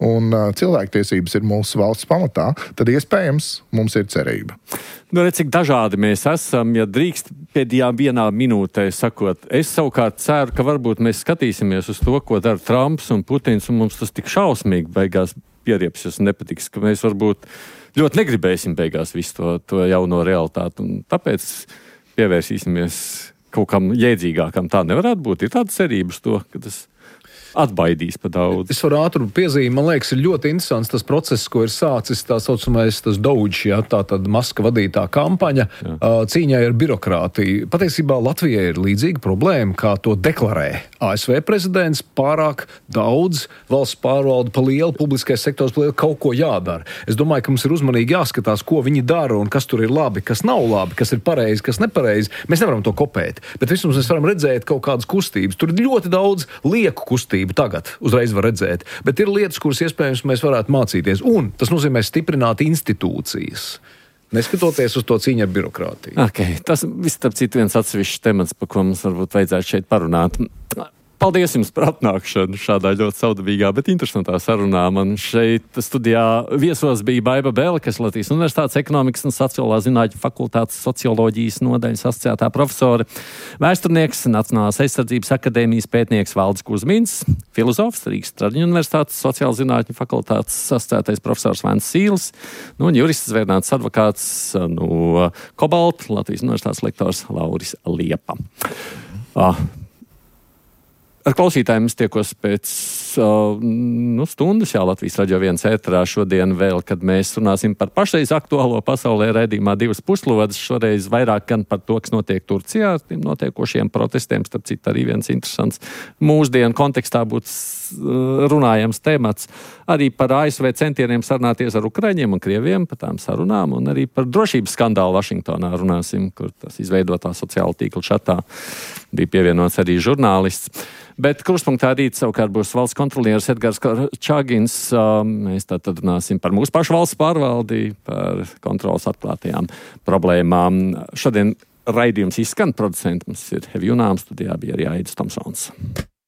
un uh, cilvēktiesības ir mūsu valsts pamatā, tad iespējams mums ir cerība. Nu, redz, cik dažādi mēs esam, ja drīkst pēdējā vienā minūtē sakot. Es savukārt ceru, ka varbūt mēs skatīsimies uz to, ko dara Trumps un Putins, un mums tas tik šausmīgi beigās pieriepsies un nepatiks, ka mēs varbūt ļoti negribēsim beigās visu to, to jauno realitāti, un tāpēc pievērsīsimies kaut kam jēdzīgākam. Tā nevarētu būt. Ir tāda cerība uz to, ka tas atbaidīs pa daudz. Es varu ātru piezīmi, man liekas, ir ļoti interesants tas process, ko ir sācis tā saucamais tas Doge, ja, tā tad Maska vadītā kampaņa jā. Cīņai ar birokrātiju. Patiesībā Latvijai ir līdzīga problēma, kā to deklarē A S V prezidents, pārāk daudz valsts pārvalda pa lielu, publiskais sektors pa lielu, kaut ko jādara. Es domāju, ka mums ir uzmanīgi jāskatās, ko viņi dara un kas tur ir labi, kas nav labi, kas ir pareizi, kas nepareizi. Mēs nevaram to kopēt, bet vismaz mēs varam redzēt kaut kādas kustības. Tur ir ļoti daudz lieku kustību. Tagad uzreiz var redzēt, bet ir lietas, kuras iespējams mēs varētu mācīties, un tas nozīmē stiprināt institūcijas, neskatoties uz to cīņu ar birokrātiju. Okay, tas viss, starp citu, viens atsevišķs temats, par ko mums varbūt vajadzētu šeit parunāt. Paldies jums par atnākšanu šādā ļoti saudabīgā, bet interesantā sarunā. Man šeit studijā viesos bija Baiba Bele, kas Latvijas Universitātes ekonomikas un sociālā zinātņu fakultātes socioloģijas nodaļas asociētā profesore, vēsturnieks, Nacionālās aizsardzības akadēmijas pētnieks Valdis Kuzmins, filozofs, Rīgas Tradiņu Universitātes sociālā zinātņu fakultātes asociētais profesors Vents Sīls, nu, un jurists zvērnāts advokāts no Kobalta, Latvijas Universitātes lektors Lauris Liepa. Ah. Ar klausītājiem es tiekos pēc uh, nu, stundas, jā, Latvijas Radio viens ēterā šodien vēl, kad mēs runāsim par pašreiz aktuālo pasaulē raidījumā divas puslodes, šoreiz vairāk gan par to, kas notiek Turcijā, ar tiem notiekošiem protestiem, starp citu arī viens interesants mūsdienu kontekstā būtu uh, runājams temats, arī par A S V centieniem sarunāties ar Ukraiņiem un Krieviem, par tām sarunām, un arī par drošības skandālu Vašingtonā runāsim, kur tas izveidotā sociāla tīkla čatā bija pievienots arī žurnālists. Bet krustpunktā rīt savukārt būs valsts kontrolieris Edgars Čagins. Mēs tātad runāsim par mūsu pašu valsts pārvaldi, par kontrolas atklātajām problēmām. Šodien raidījums izskan, producents mums ir Hevi Junāms, studijā bija arī Aidis Tomsons.